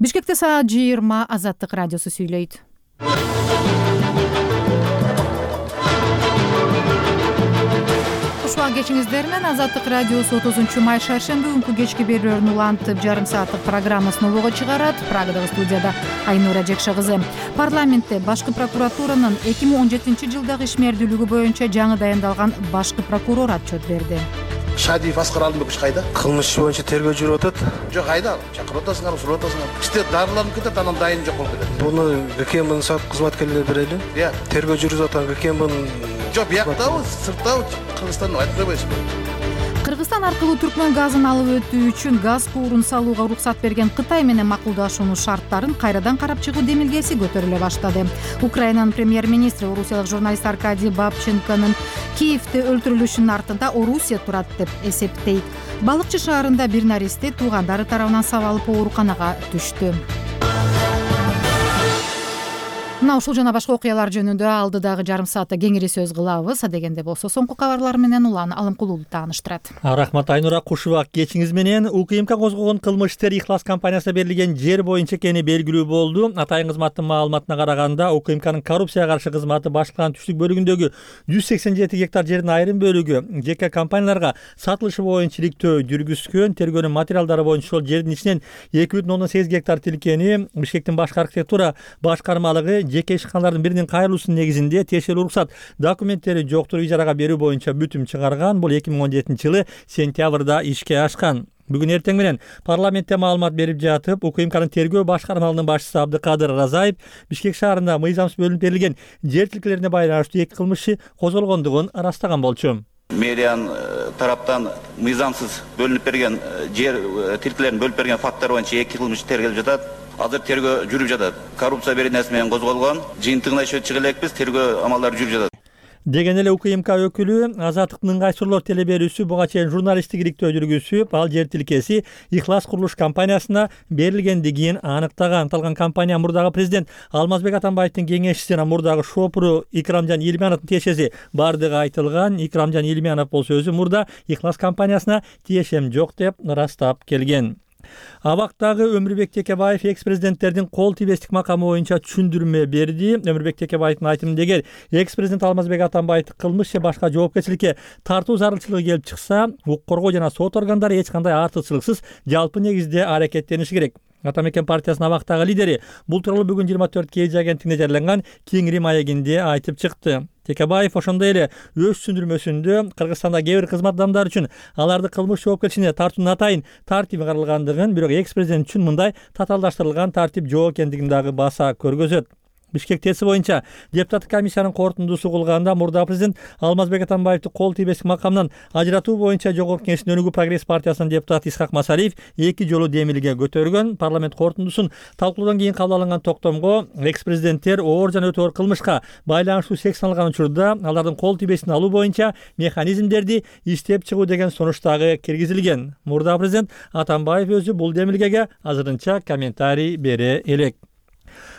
Бишкекте саат 20 Азаттык радиосу сүйлөйт. Ушуга кечиңиздер менен Азаттык радиосу 30 май шаршемби күнкү кечки берүүлөрүн улантып, жарым сааттык программасын улууга чыгарат. Прагадагы студияда Айнура Жекше кызы. Парламентте башкы прокуратуранын 2017 жылдагы ишмердүүлүгү боюнча жаңы дайындалган башкы прокурор отчет берди. Шадиев Аскар Алымбекович кайда? Кылмыш иши боюнча тергөө жүрүп атат. Жок, кайда? Чакырып атасыңар, сурап атасыңар. Иште дарыланып кетет, анан дайын жок болуп кетет. Буну ГКМдин сот кызматкерлери берели. Тергөө жүрүп атат ГКМдин. Жок, бияктабы, сырттабы, Кыргызстан айтып койбойсузбу? Кыргызстан аркылуу түркмөн газын алып өтүү үчүн газ куурун салууга уруксат берген Кытай менен макулдашуунун шарттарын кайрадан карап чыгуу демилгеси көтөрүлө баштады. Украинанын премьер-министри орусиялык журналист Аркадий Бабченконун Киевде өлтүрүлүшүнүн артында Орусия турат деп эсептейт. Балыкчы шаарында бир наристе туугандары тарабынан сабалып ооруканага түштү. Мына ушул жана башка окуялар жөнүндө алдыдагы жарым саатта кеңири сөз кылабыз. Адегенде болсо соңку кабарлар менен Улан Алымкулуулу тааныштырат. Рахмат Айнура, кушубак кечиңиз менен. УКМК козгогон кылмыш иштер Ихлас компаниясына берилген жер боюнча экени белгилүү болду. Атайын кызматтын маалыматына караганда, УКМКнын коррупцияга каршы кызматы башкарманын түштүк бөлүгүндөгү 187 гектар жердин айрым бөлүгү жеке компанияларга сатылышы боюнча иликтөө жүргүзгөн. Тергөөнүн материалдары боюнча ошол жердин ичинен 2,8 гектар тилкени Бишкектин башкы архитектура башкармалыгы жеке ишканалардын биринин кайрылуусунун негизинде тиешелүү уруксат документтери жоктур ижарага берүү боюнча бүтүм чыгарган. Бул 2017 жылы сентябрда ишке ашкан. Бүгүн эртең менен парламентте маалымат берип жатып, УКМКнын тергөө башкармалыгынын башчысы Абдыкадыр Разаев Бишкек шаарында мыйзамсыз бөлүнүп берилген жер тилкелерине байланыштуу 2 кылмыш иши козголгондугун ырастаган болчу. Мэриянын тараптан мыйзамсыз бөлүнүп берген жер тилкелерин бөлүп берген факттар боюнча 2 кылмыш тергелип жатат. Азыр тергөө жүрүп жатат. Коррупция беренеси менен козголгон. Жыйынтыгына иши чыга элекпиз, тергөө амалдары жүрүп жатат. Деген эле УКМК өкүлү Азаттыктын ыңгайсырлоо телеберүүсү буга чейин журналисттик иликтөө жүргүзүп, ал жер тилкеси Ихлас курулуш компаниясына берилгендигин аныктаган. Аталган компания мурдагы президент Алмазбек Атамбаевдин кеңешчиси жана мурдагы шопуру Икрамжан Илмановдун тиешеси бардыгы айтылган. Икрамжан Илманов болсо өзү мурда Ихлас компаниясына тиешем жок деп ырастап келген. Абактагы Өмүрбек Текебаев экс-президенттердин кол тийбестик макамы боюнча түшүндүрмө берди. Өмүрбек Текебаевдин айтымында эгер экс-президент Алмазбек Атамбаевди кылмыш же башка жоопкерчиликке тартуу зарылчылыгы келип чыкса, укук коргоо жана сот органдары эч кандай артыкчылыксыз жалпы негизде аракеттениши керек. Атамекен партиясынын абактагы лидери бул тууралуу бүгүн 24 KG агенттигине жарыяланган Кеңири маегинде айтып чыкты. Текебаев ошондой эле өз түшүндүрмөсүндө Кыргызстанда кээ бир кызмат адамдары үчүн аларды кылмыш жоопкерчилигине тартуунун атайын тартиби каралгандыгын, бирок экс-президент үчүн мындай татаалдаштырылган тартип жок экендигин дагы баса көргөзөт. Бишкек ТЭСи боюнча депутаттык комиссиянын корутундусу кылганда мурда президент Алмазбек Атамбаевди кол тийбестик макамдан ажыратуу боюнча Жогорку Кеңештин Өнүгүү прогресс партиясынын депутаты Исхак Масалиев 2 жолу демилге көтөргөн. Парламент корутундусун талкуулоодон кийин кабыл алынган токтомго экс-президенттер оор жана өтө оор кылмышка байланыштуу секцияланган учурда алардын кол тийбестин алуу боюнча механизмдерди иштеп чыгуу деген сунуш дагы киргизилген. Мурда президент Атамбаев өзү бул демилгеге азырынча комментарий бере элек.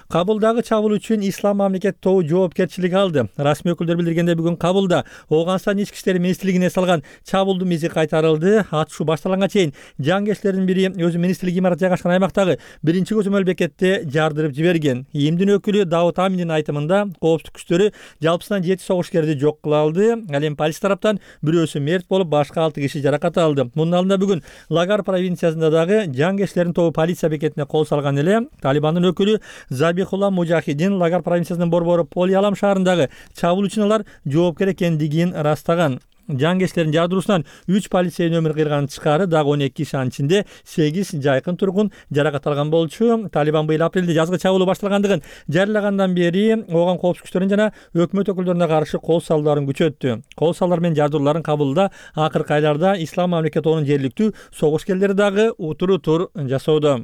Кабылдагы чабуул үчүн Ислам мамлекет тобу жоопкерчилик алды. Расмий өкүлдөр билдиргенде бүгүн Кабулда Ооганстан ички иштер министрлигине салган чабуулдун изи кайтарылды. Атышуу башталганга чейин жангерчилердин бири өзү министрлик имараты жайгашкан аймактагы биринчи көзөмөл бекетте жардырып жиберген. ИИМдин өкүлү Давут Аминдин айтымында коопсуздук күчтөрү жалпысынан 7 согушкерди жок кыла алды. Ал эми полиция тараптан бирөөсү мерт болуп, башка 6 киши жаракат алды. Мунун алдында бүгүн Лагар провинциясында дагы жангерчилердин тобу полиция бекетине кол салган эле. Талибандын өкүлү Забихулла Мужахидин Лагар провинциясынын борбору Полиалам шаарындагы чабуул үчүн алар жоопкер экендигин ырастаган. Жангерчилердин жардыруусунан 3 полицейдин өмүрү кыйылган тышкары дагы 12 киши, анын ичинде 8 жайкын тургун жаракат алган болчу. Талибан быйыл апрелде жазгы чабуулу башталгандыгын жарыялагандан бери ооган коопсуздук күчтөрүнүн жана өкмөт өкүлдөрүнө каршы кол салууларын күчөттү. Кол салуулар менен жардырууларын Кабулда акыркы айларда Ислам мамлекет тобунун жергиликтүү согушкерлери дагы утур жасоодо.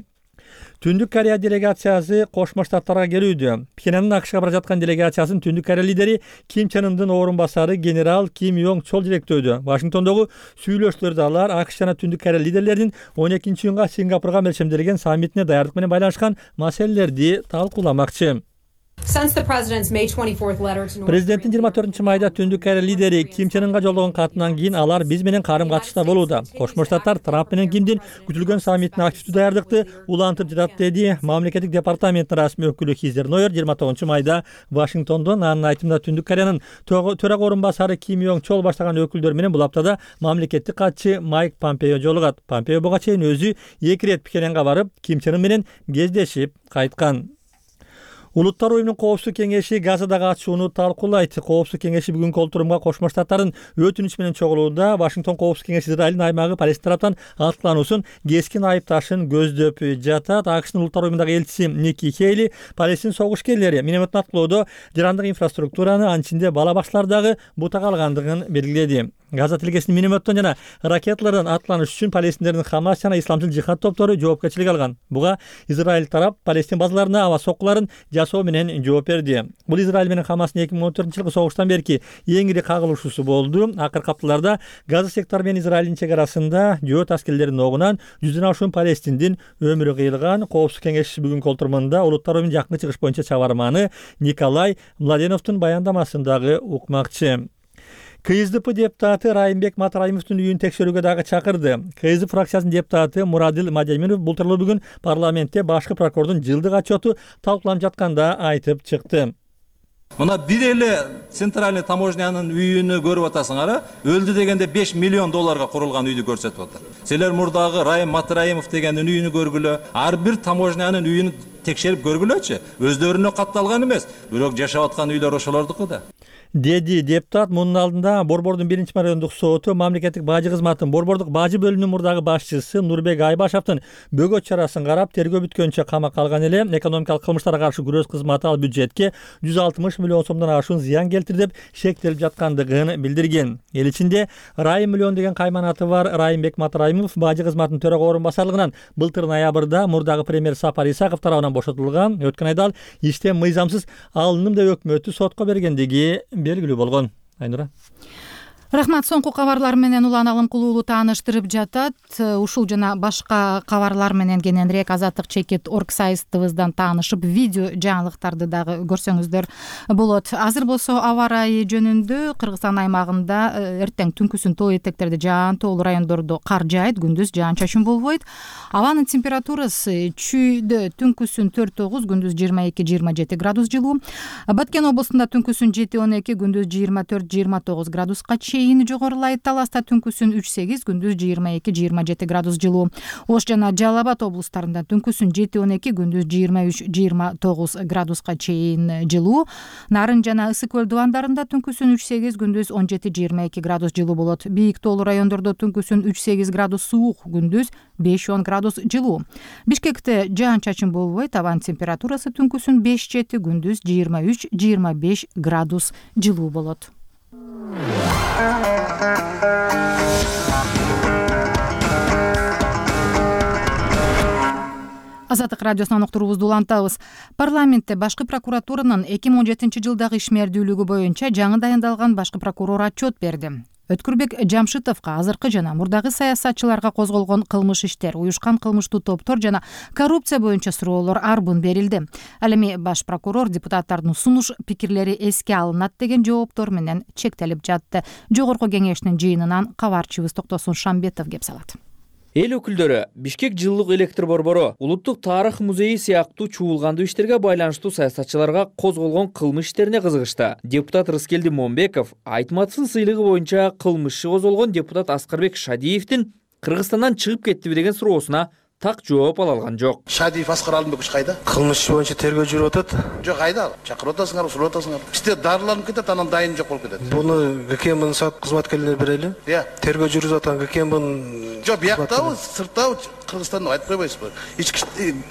Түндүк Корея делегациясы Кошмо Штаттарга келүүдө. Пхеньяндын АКШга бара жаткан делегациясын Түндүк Корея лидери Ким Чен Ындын орун басары генерал Ким Йонг Чол желектөөдө. Вашингтондогу сүйлөшүүлөрдө алар АКШ жана Түндүк Корея лидерлеринин 12-июнга Сингапурга мелчемделген саммитине даярдык менен байланышкан маселелерди талкууламакчы. Президенттин 24-майда Түндүк Корея лидери Ким Чен Ынга жолдогон катынан кийин алар биз менен карым катышта болууда. Кошмо Штаттар Трамп менен Кимдин күтүлгөн саммитине активдүү даярдыкты улантып жатат, деди мамлекеттик департаменттин расмий өкүлү Хизер Нойер 29-майда Вашингтондон. Анын айтымында Түндүк Кореянын төрага орун басары Ким Йонг Чол баштаган өкүлдөр менен бул аптада мамлекеттик катчы Майк Помпео жолугат. Помпео буга чейин өзү 2 ирет Пхеньянга барып, Ким Чен Ын менен кездешип кайткан. Улуттар уюмунун Коопсуздук кеңеши Газадагы атышууну талкуулайт. Коопсуздук кеңеши бүгүнкү олтурумга Кошмо Штаттардын өтүнүчү менен чогулууда Вашингтон Коопсуздук кеңеши Израилдин аймагы Палестина тараптан аткылануусун кескин айыпташын көздөп жатат. АКШнын улуттар уюмундагы элчиси Ники Хейли Палестин согушкерлери минометтин аткылоодо жарандык инфраструктураны, анын ичинде бала бакчалар дагы бутак алгандыгын белгиледи. Газа тилкесинин минометтон жана ракеталардан аткыланыш үчүн палестиндердин Хамас жана исламчыл жихад топтору жоопкерчилик алган. Буга Израиль тарап Палестин базаларына аба соккуларын жасоо менен жооп берди. Бул Израиль менен Хамастын 2014-жылкы согуштан берки эң ири кагылышуусу болду. Акыркы апталарда Газа сектору менен Израилдин чек арасында жөөт аскерлеринин огунан 100дөн ашуун палестиндин өмүрү кыйылган. Коопсуздук кеңеши бүгүнкү олтурумунда улуттар уюмунун жакынкы чыгыш боюнча чабарманы Николай Младеновдун баяндамасын дагы укмакчы. КСДП депутаты Райымбек Матраимовдун үйүн текшерүүгө дагы чакырды. КСДП фракциясынын депутаты Мурадил Мадемиров бул тууралуу бүгүн парламентте башкы прокурордун жылдык отчету талкууланып жатканда айтып чыкты. Мына бир эле центральный таможнянын үйүнү көрүп атасыңар, өлдү дегенде 5 миллион долларга курулган үйдү көрсөтүп атат. Силер мурдагы Райым Матраимов дегендин үйүнү көргүлө, ар бир таможнянын үйүн текшерип көргүлөчү. Өздөрүнө катталган эмес, бирок жашап аткан үйлөр ошолордуку да. Деди депутат. Мунун алдында Борбордун 1-райондук соту мамлекеттик бажы кызматынын Борбордук бажы бөлүмүнүн мурдагы башчысы Нурбек Айбашевдин бөгөт чарасын карап, тергөө бүткөнчө камакка алган эле. Экономикалык кылмыштарга каршы күрөш кызматы ал бюджетке 160 миллион сомдон ашуун зыян келтирди деп шектелип жаткандыгын билдирген. Эл ичинде Райым миллион деген кайманаты бар Райымбек Матраимов бажы кызматынын төрага орун басарлыгынан былтыр ноябрда мурдагы премьер Сапар Исаков тарабынан бошотулган. Өткөн айда ал иштен мыйзамсыз алындым деп өкмөтү сотко бергендиги белгилүү болгон. Айнура. Рахмат. Соңку кабарлар менен Улан Алым Кулуулу тааныштырып жатат. Ушул жана башка кабарлар менен кененирээк Азаттык Чекит.org сайтыбыздан таанышып, видео жаңылыктарды дагы көрсөңүздөр болот. Азыр болсо аба ырайы жөнүндө Кыргызстан аймагында эртең түнкүсүн тоо этектерде жаан-тоолуу райондордо кар жаайт, күндүз жаан-чачын болбойт. Абанын температурасы чүйдө түнкүсүн 4-9, күндүз 22-27 градус жылуу. Баткен облусунда түнкүсүн 7-12, күндүз 24-29 градуска жогорулайт. Таласта түнкүсүн 3-8, күндүз 22-27 градус жылуу. Ош жана Жалал Абад облустарында түнкүсүн 7-12, күндүз 23-29 градуска чейин жылуу. Нарын жана Ысык көл дубандарында түнкүсүн 3-8, күндүз 17-22 градус жылуу болот. Бийик тоолуу райондордо түнкүсүн 3-8 градус суук, күндүз 5-10 градус жылуу. Бишкекте жаан-чачын болбойт. Абанын температурасы түнкүсүн 5-7, күндүз 23-25 градус жылуу болот. Азаттык радиосунан уктуруубузду улантабыз. Парламентте башкы прокуратуранын 2017-жылдагы ишмердүүлүгү боюнча жаңы дайындалган башкы прокурор отчет берди. Өткүрбек Жамшитовго азыркы жана мурдагы саясатчыларга козголгон кылмыш иштер, уюшкан кылмыштуу топтор жана коррупция боюнча суроолор арбын берилди. Ал эми баш прокурор депутаттардын сунуш пикирлери эске алынат деген жооптор менен чектелип жатты. Жогорку кеңештин жыйынынан кабарчыбыз Токтосун Шамбетов кеп салат. Эл өкүлдөрү Бишкек жылдык электр борбору, Улуттук тарых музейи сыяктуу чуулгандуу иштерге байланыштуу саясатчыларга козголгон кылмыш иштерине кызыгышты. Депутат Рыскелди Момбеков Айтматовдун сыйлыгы боюнча кылмыш козголгон депутат Аскарбек Шадиевдин Кыргызстандан чыгып кеттиби деген суроосуна так жооп ала алган жок. Шадиев Аскар Алымбекович кайда? Кылмыш боюнча тергөө жүрүп атат. Жок, кайда? Чакырып атасыңар, сурап атасыңар. Бизде дарыланып кетет, анан дайын жок болуп кетет. Буну ГКМбын сот кызматкерлери берели. Тергөө жүрүп аткан ГКМбын. Жок, бияктабы, сырттабы, Кыргызстанда айтып койбойсузбу?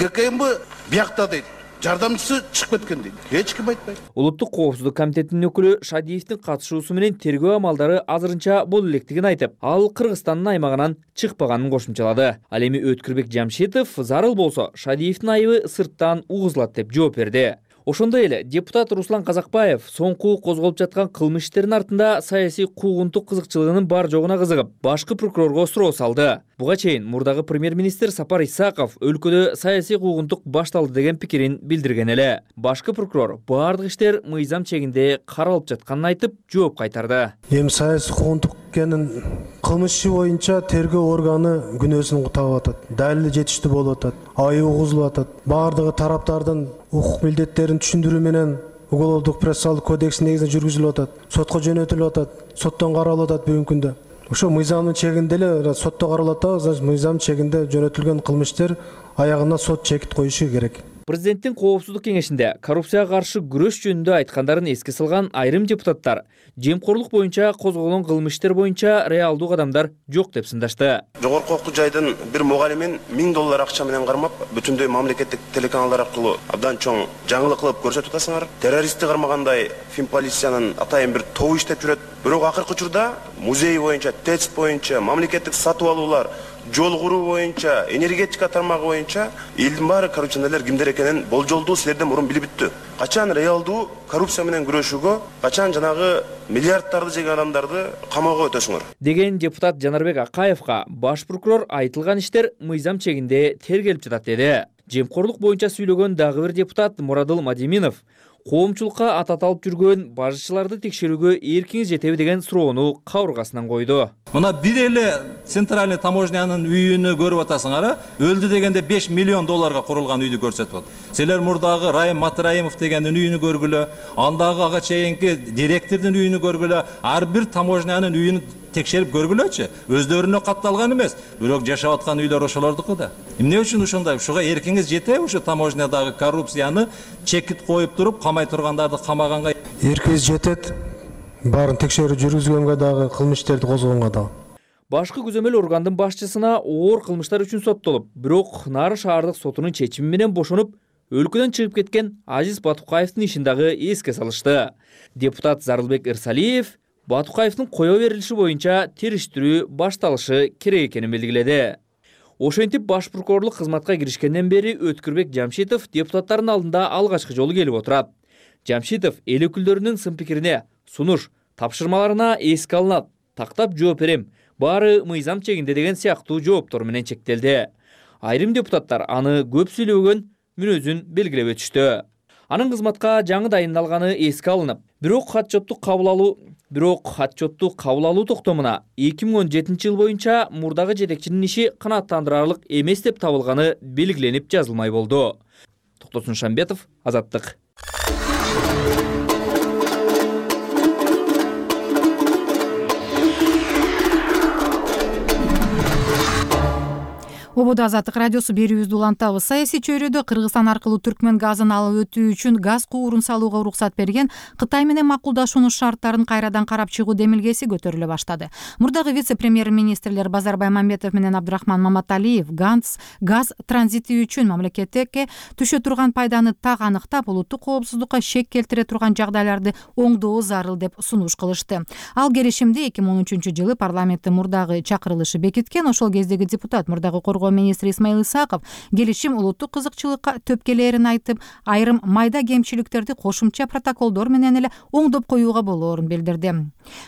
ГКМб биякта дейт. Жардамчысы чыгып кеткен дейт. Эч ким айтпайт. Улуттук коопсуздук комитетинин өкүлү Шадиевдин катышуусу менен тергөө амалдары азырынча боло электигин айтып, ал Кыргызстандын аймагынан чыкпаганын кошумчалады. Ал эми Өткүрбек Жамшитов зарыл болсо Шадиевдин айыбы сырттан угузулат деп жооп берди. Ошондой эле депутат Руслан Казакбаев соңку козголуп жаткан кылмыш иштеринин артында саясий куугунтук кызыкчылыгынын бар жогуна кызыгып, башкы прокурорго суроо салды. Буга чейин мурдагы премьер-министр Сапар Исаков өлкөдө саясий куугунтук башталды деген пикирин билдирген эле. Башкы прокурор баардык иштер мыйзам чегинде каралып жатканын айтып, жооп кайтарды. Эми саясий куугунтук экенин кылмыш иши боюнча тергөө органы күнөөсүн таап атат. Далили жетиштүү болуп атат. Айып угузулуп атат. Баардыгы тараптардын укук милдеттерин түшүндүрүү менен Уголовдук процессуалдык кодекстин негизинде жүргүзүлүп атат. Сотко жөнөтүлүп атат. Соттон каралып атат бүгүнкү күндө. Ошо мыйзамдын чегинде эле сотто каралат, значит мыйзам чегинде жөнөтүлгөн кылмыштар аягына сот чекит коюшу керек. Президенттин коопсуздук кеңешинде коррупцияга каршы күрөш жөнүндө айткандарын эске салган айрым депутаттар жемкорлук боюнча козголгон кылмыш иштер боюнча реалдуу кадамдар жок деп сындашты. Жогорку окуу жайдын бир мугалимин $1000 акча менен кармап, бүтүндөй мамлекеттик телеканалдар аркылуу абдан чоң жаңылык кылып көрсөтүп атасыңар. Террористти кармагандай Финполициянын атайын бир тобу иштеп жүрөт. Бирок акыркы учурда музей боюнча, ТЭЦ боюнча, мамлекеттик сатып алуулар, жол куруу боюнча, энергетика тармагы боюнча элдин баары коррупционерлер кимдер экенин болжолдуу силерден мурун билип бүттү. Качан реалдуу коррупция менен күрөшүүгө, качан жанагы миллиарддарды жеген адамдарды камоого өтөсүңөр деген депутат Жанарбек Акаевга баш прокурор айтылган иштер мыйзам чегинде тергелип жатат деди. Жемкорлук боюнча сүйлөгөн дагы бир депутат Мурадыл Мадиминов коомчулукка ататалып жүргөн бажычыларды текшерүүгө эркиңиз жетеби деген суроону кабыргасынан койду. Мына бир эле центральный таможнянын үйүнү көрүп атасыңар, өлдү дегенде $5 миллион курулган үйдү көрсөтүп атат. Силер мурдагы Райым Матраимов дегендин үйүнү көргүлө, андагы ага чейинки директордун үйүнү көргүлө, ар бир таможнянын үйүнү текшерип көргүлөчү. Өздөрүнө катталган эмес, бирок жашап аткан үйлөр ошолордуку да. Эмне үчүн ошондой? Ушуга эркиңиз жетеби ушу таможнядагы коррупцияны чекит коюп туруп, камай тургандарды камаганга? Эркиңиз жетет. Баарын текшерүү жүргүзгөнгө дагы, кылмыштерди козгогонго дагы. Башкы көзөмөл органдын башчысына оор кылмыштар үчүн соттолуп, бирок Нары шаардык сотунун чечими менен бошонуп, өлкөдөн чыгып кеткен Азиз Батукаевдин ишин дагы эске салышты. Депутат Зарылбек Ирсалиев Батукаевдин кое берилиши боюнча териштирүү башталышы керек экенин билдирди. Ошентип баш прокурорлук кызматка киришкенден бери Өткүрбек Жамшитов депутаттардын алдында алгачкы жолу келип отурат. Жамшитов эл өкүлдөрүнүн сын пикирине, сунуш, тапшырмаларына эске алынат, тактап жооп берем, баары мыйзам чегинде деген сыяктуу жооптор менен чектелди. Айрым депутаттар аны көп сүйлөгөн мүнөзүн белгилеп өтүштү. Анын кызматка жаңы дайындалганы эске алынып, бирок отчотту кабыл алуу токтомуна 2017 жыл боюнча мурдагы жетекчинин иши канааттандырарлык эмес деп табылганы белгиленип жазылмай болду. Токтосун Шамбетов, Азаттык. Ободо Азаттык радиосу берүүбүздү улантабыз. Саясий чөйрөдө Кыргызстан аркылуу түркмөн газын алып өтүү үчүн газ куурун салууга уруксат берген Кытай менен макулдашуунун шарттарын кайрадан карап чыгуу демилгеси көтөрүлө баштады. Мурдагы вице-премьер-министрлер Базарбай Мамбетов менен Абдрахман Маматалиев газ транзити үчүн мамлекетке түшө турган пайданы так аныктап, улуттук коопсуздукка шек келтире турган жагдайларды оңдоо зарыл деп сунуш кылышты. Ал келишимди 2013 жылы парламенттин мурдагы чакырылышы бекиткен. Ошол кездеги депутат мурдагы министр Исмаил Исаков келишим улуттук кызыкчылыкка төп келээрин айтып, айрым майда кемчиликтерди кошумча протоколдор менен эле оңдоп коюуга болоорун билдирди.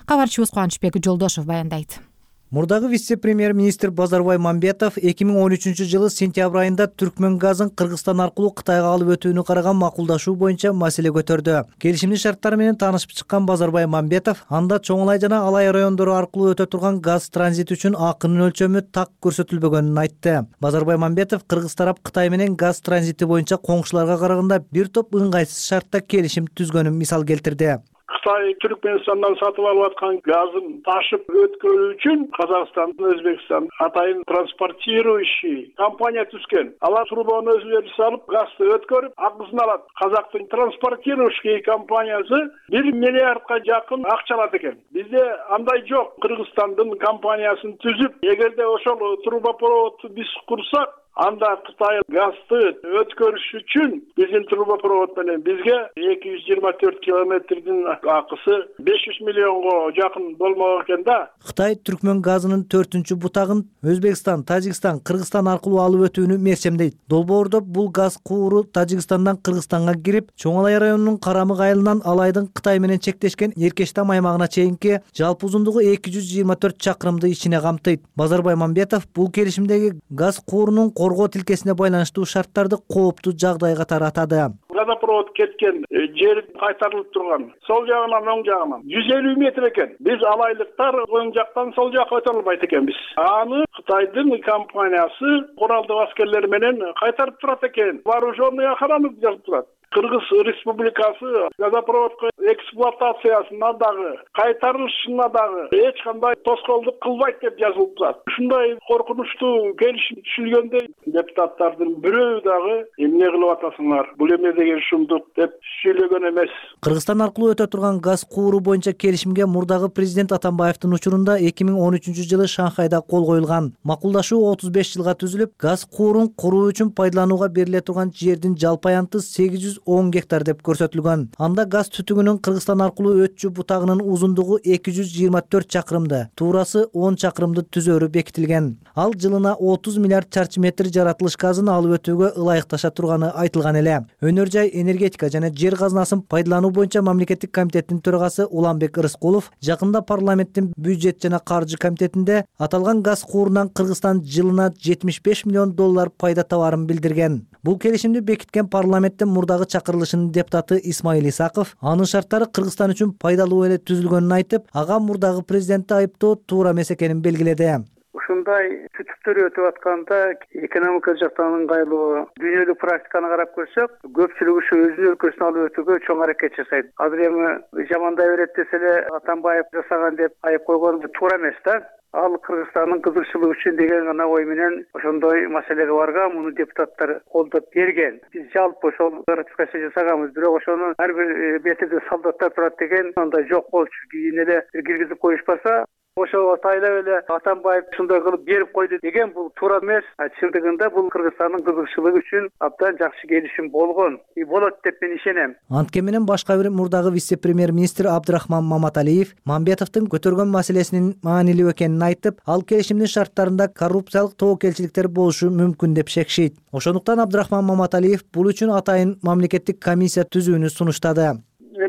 Кабарчыбыз Кубанычбек Жолдошов баяндайт. Мурдагы вице-премьер-министр Базарбай Мамбетов 2013 жылы сентябрь айында түркмөн газын Кыргызстан аркылуу Кытайга алып өтүүнү караган макулдашуу боюнча маселе көтөрдү. Келишимдин шарттары менен таанышып чыккан Базарбай Мамбетов анда Чоңлай жана Алай райондору аркылуу өтө турган газ транзити үчүн акынын өлчөмү так көрсөтүлбөгөнүн айтты. Базарбай Мамбетов Кыргыз тарап Кытай менен газ транзити боюнча коңшуларга караганда бир топ ыңгайсыз шартта келишим түзгөнүн мисал келтирди. Кытай Түркменистандан сатып алып аткан газын ташып өткөрүү үчүн Казакстан, Өзбекстан атайын транспортирующий компания түзгөн. Алар трубаны өзүлөрү салып, газды өткөрүп, акысын алат. Казактын транспортирующий компаниясы 1 миллиардга жакын акча алат экен. Бизде андай жок. Кыргызстандын компаниясын түзүп, эгерде ошол трубопроводду биз курсак, Анда Кытай газды өткөрүш үчүн биздин трубопровод менен бизге 224 километрдин акысы 500 миллионго жакын болмок экен да. Кытай Түркмөн газынын 4-чү бутагын Өзбекстан, Тажикстан, Кыргызстан аркылуу алып өтүүнү мерчемдейт. Долбоордо бул газ кууру Тажикстандан Кыргызстанга кирип, Чоң Алай районунун Карамык айылынан Алайдын Кытай менен чектешкен Эркештам аймагына чейинки жалпы узундугу 224 чакырымды ичине камтыйт. Базарбай Мамбетов бул келишимдеги газ куурунун коргоо тилкесине байланыштуу шарттарды кооптуу жагдай катары атады. Газопровод кеткен жер кайтарылып турган. Сол жагынан оң жагынан 150 метр экен. Биз алайлыктар оң жактан сол жакка өтө албайт экенбиз. Аны Кытайдын компаниясы куралдуу аскерлер менен кайтарып турат экен. Вооруженный охрана жазып турат. Кыргыз Республикасы газопроводко эксплуатациясына дагы, кайтарылышына дагы эч кандай тоскоолдук кылбайт деп жазылып турат. Ушундай коркунучтуу келишим түшүлгөндө депутаттардын бирөө дагы эмне кылып атасыңар? Бул эмне деген шумдук деп сүйлөгөн эмес. Кыргызстан аркылуу өтө турган газ кууру боюнча келишимге мурдагы президент Атамбаевдин учурунда 2013-жылы Шанхайда кол коюлган. Макулдашуу 35 жылга түзүлүп, газ куурун куруу үчүн пайдаланууга бериле турган жердин жалпы аянты 810 гектар деп көрсөтүлгөн. Анда газ түтүгүнүн Кыргызстан аркылуу өтчү бутагынын узундугу 224 чакырымды, туурасы 10 чакырымды түзөрү бекитилген. Ал жылына 30 миллиард чарчы метр жаратылыш газын алып өтүүгө ылайыкташа турганы айтылган эле. Өнөр жай, энергетика жана жер казынасын пайдалануу боюнча мамлекеттик комитеттин төрагасы Уланбек Ырыскулов жакында парламенттин бюджет жана каржы комитетинде аталган газ куурунан Кыргызстан жылына 75 миллион доллар пайда табарын билдирген. Бул келишимди бекиткен парламенттин мурдагы чакырылышынын депутаты Исмаил Исаков анын шарттары Кыргызстан үчүн пайдалуу эле түзүлгөнүн айтып, ага мурдагы президентти айыптоо туура эмес экенин белгиледи. Ушундай түтүктөр өтүп атканда экономика жактан ыңгайлуу дүйнөлүк практиканы карап көрсөк, көпчүлүк ушу өзүнүн өлкөсүнө алып өтүүгө чоң аракет жасайт. Азыр эми жамандай берет десе эле Атамбаев жасаган деп айып койгон туура эмес да. Ал Кыргызстандын кызыкчылыгы үчүн деген гана ой менен ошондой маселеге барган, муну депутаттар колдоп берген. Биз жалпы ошол ратификация жасаганбыз, бирок ошону ар бир бетиде солдаттар турат деген андай жок болчу. Кийин эле киргизип коюшпаса, ошо атайлап эле Атамбаев ушундай кылып берип койду деген бул туура эмес. Чындыгында бул Кыргызстандын кызыкчылыгы үчүн абдан жакшы келишим болгон. Болот деп мен ишенем. Антке менен башка бир мурдагы вице-премьер-министр Абдрахман Маматалиев Мамбетовдун көтөргөн маселесинин маанилүү экенин айтып, ал келишимдин шарттарында коррупциялык тобокелчиликтер болушу мүмкүн деп шекшейт. Ошондуктан Абдрахман Маматалиев бул үчүн атайын мамлекеттик комиссия түзүүнү сунуштады.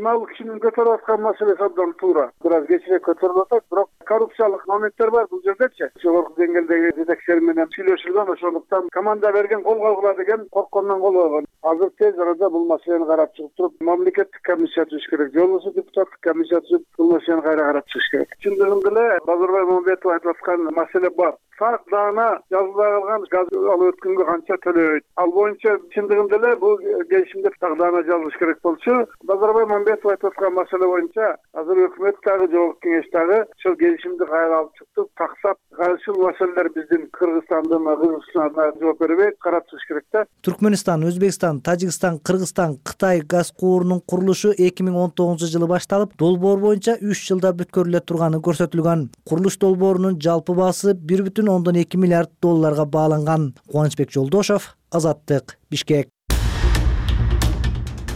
Ал кишинин көтөрүп аткан маселеси абдан туура. Бираз кечирээк көтөрүлүп атат, бирок коррупциялык моменттер бар бул жердечи. Жогорку деңгээлдеги жетекчилер менен сүйлөшүлгөн, ошондуктан команда берген кол кагыла деген корккондон кол койгон. Азыр тез арада бул маселени карап чыгып туруп, мамлекеттик комиссия түзүш керек. Же болбосо депутаттык комиссия түзүп, бул маселени кайра карап чыгыш керек. Чындыгында эле Базарбай Мамбетов айтып аткан маселе бар. Так даана жазыла калган газ алып өткөнгө канча төлөйт. Ал боюнча чындыгында эле бул келишимде так даана жазылыш керек болчу. Базарбай Мамбетов айтып аткан маселе боюнча азыр өкмөт дагы жогорку кеңеш дагы ошол келишимди кайра алып чыкты. Таксап ушул маселелер биздин Кыргызстандын кызыкчылыгына жооп бербейт, карап чыгыш керек да. Түркмөнстан, Өзбекстан, Тажикстан, Кыргызстан, Кытай газ куурунун курулушу 2019-жылы башталып, долбоор боюнча 3 жылда бүткөрүлө турганы көрсөтүлгөн. Курулуш долбоорунун жалпы баасы 1,2 миллиард долларга бааланган. Кубанычбек Жолдошов, Азаттык, Бишкек.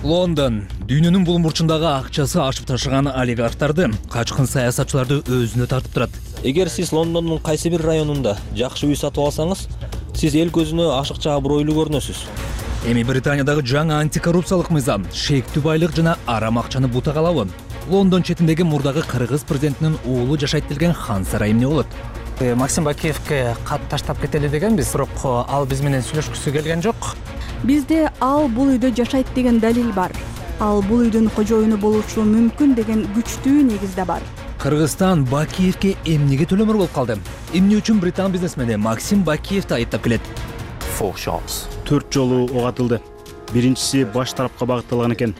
Лондон дүйнөнүн бул бурчундагы акчасы ашып ташыган олигархтарды, качкын саясатчыларды өзүнө тартып турат. Эгер сиз Лондондун кайсы бир районунда жакшы үй сатып алсаңыз, сиз эл көзүнө ашыкча абройлуу көрүнөсүз. Эми Британиядагы жаңы антикоррупциялык мыйзам шектүү байлык жана арам акчаны бутагалабы. Лондон четиндеги мурдагы кыргыз президентинин уулу жашайт делген хан сарай эмне болот? Максим Бакиевке кат таштап кетели дегенбиз, бирок ал биз менен сүйлөшкүсү келген жок. Бизде ал бул үйдө жашайт деген далил бар. Ал бул үйдүн кожоюну болушу мүмкүн деген күчтүү негиз да бар. Кыргызстан Бакиевке эмнеге төлөмөр болуп калды? Эмне үчүн британ бизнесмени Максим Бакиевди айыптап келет? 4 жолу ок атылды. Биринчиси баш тарапка багытталган экен.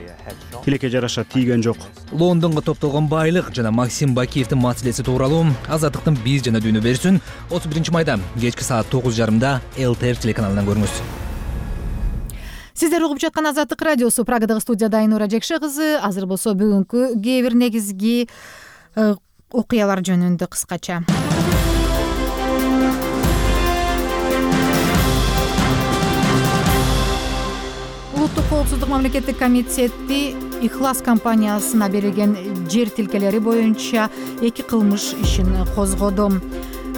Тилекке жараша тийген жок. Лондонго топтолгон байлык жана Максим Бакиевдин маселеси тууралуу Азаттыктын биз жана дүйнө берүүсүн 31 майда кечки саат 9:30 ЛТР телеканалынан көрүңүз. Сиздер угуп жаткан Азаттык радиосу. Прагадагы студияда Айнура Жекше кызы. Азыр болсо бүгүнкү кээ бир негизги окуялар жөнүндө кыскача. коопсуздук мамлекеттик комитети Ихлас компаниясына берилген жер тилкелери боюнча 2 кылмыш ишин козгоду.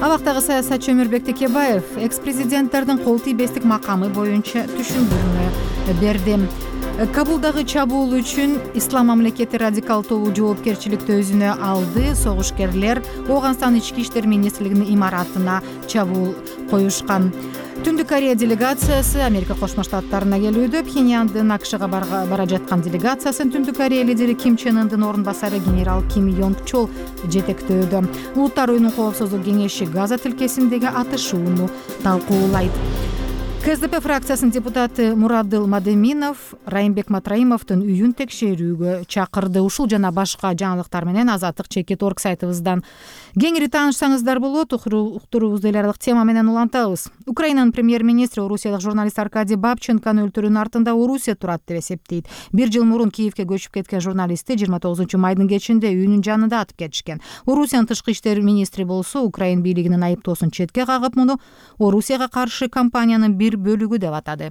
Абактагы саясатчы Өмүрбек Текебаев экс-президенттердин кол тийбестик макамы боюнча түшүндүрмө берди. Кабулдагы чабуул үчүн Ислам мамлекети радикал тобу жоопкерчиликти өзүнө алды. Согушкерлер Ооганстан ички иштер министрлигинин имаратына чабуул коюшкан. Түндүк Корея делегациясы Америка Кошмо Штаттарына келүүдө. Пхеньяндын АКШга бара жаткан делегациясын Түндүк Корея лидери Ким Чен Ындын орун басары генерал Ким Йонг Чол жетектөөдө. Улуттар уюмунун коопсуздук кеңеши Газа тилкесиндеги атышууну талкуулайт. КСДП фракциясынын депутаты Мурадыл Мадеминов Райымбек Матраимовдун үйүн текшерүүгө чакырды. Ушул жана башка жаңылыктар менен Азаттык Чекит.орг сайтыбыздан кеңири таанышсаңыздар болот. Уктуруубузду эл аралык тема менен улантабыз. Украинанын премьер-министри орусиялык журналист Аркадий Бабченконун өлтүрүүнүн артында Орусия турат деп эсептейт. 1 жыл мурун Киевге көчүп кеткен журналистти 29 майдын кечинде үйүнүн жанында атып кетишкен. Орусиянын тышкы иштер министри болсо Украин бийлигинин айыптоосун четке кагып, муну Орусияга каршы кампаниянын бир бөлүгү деп атады.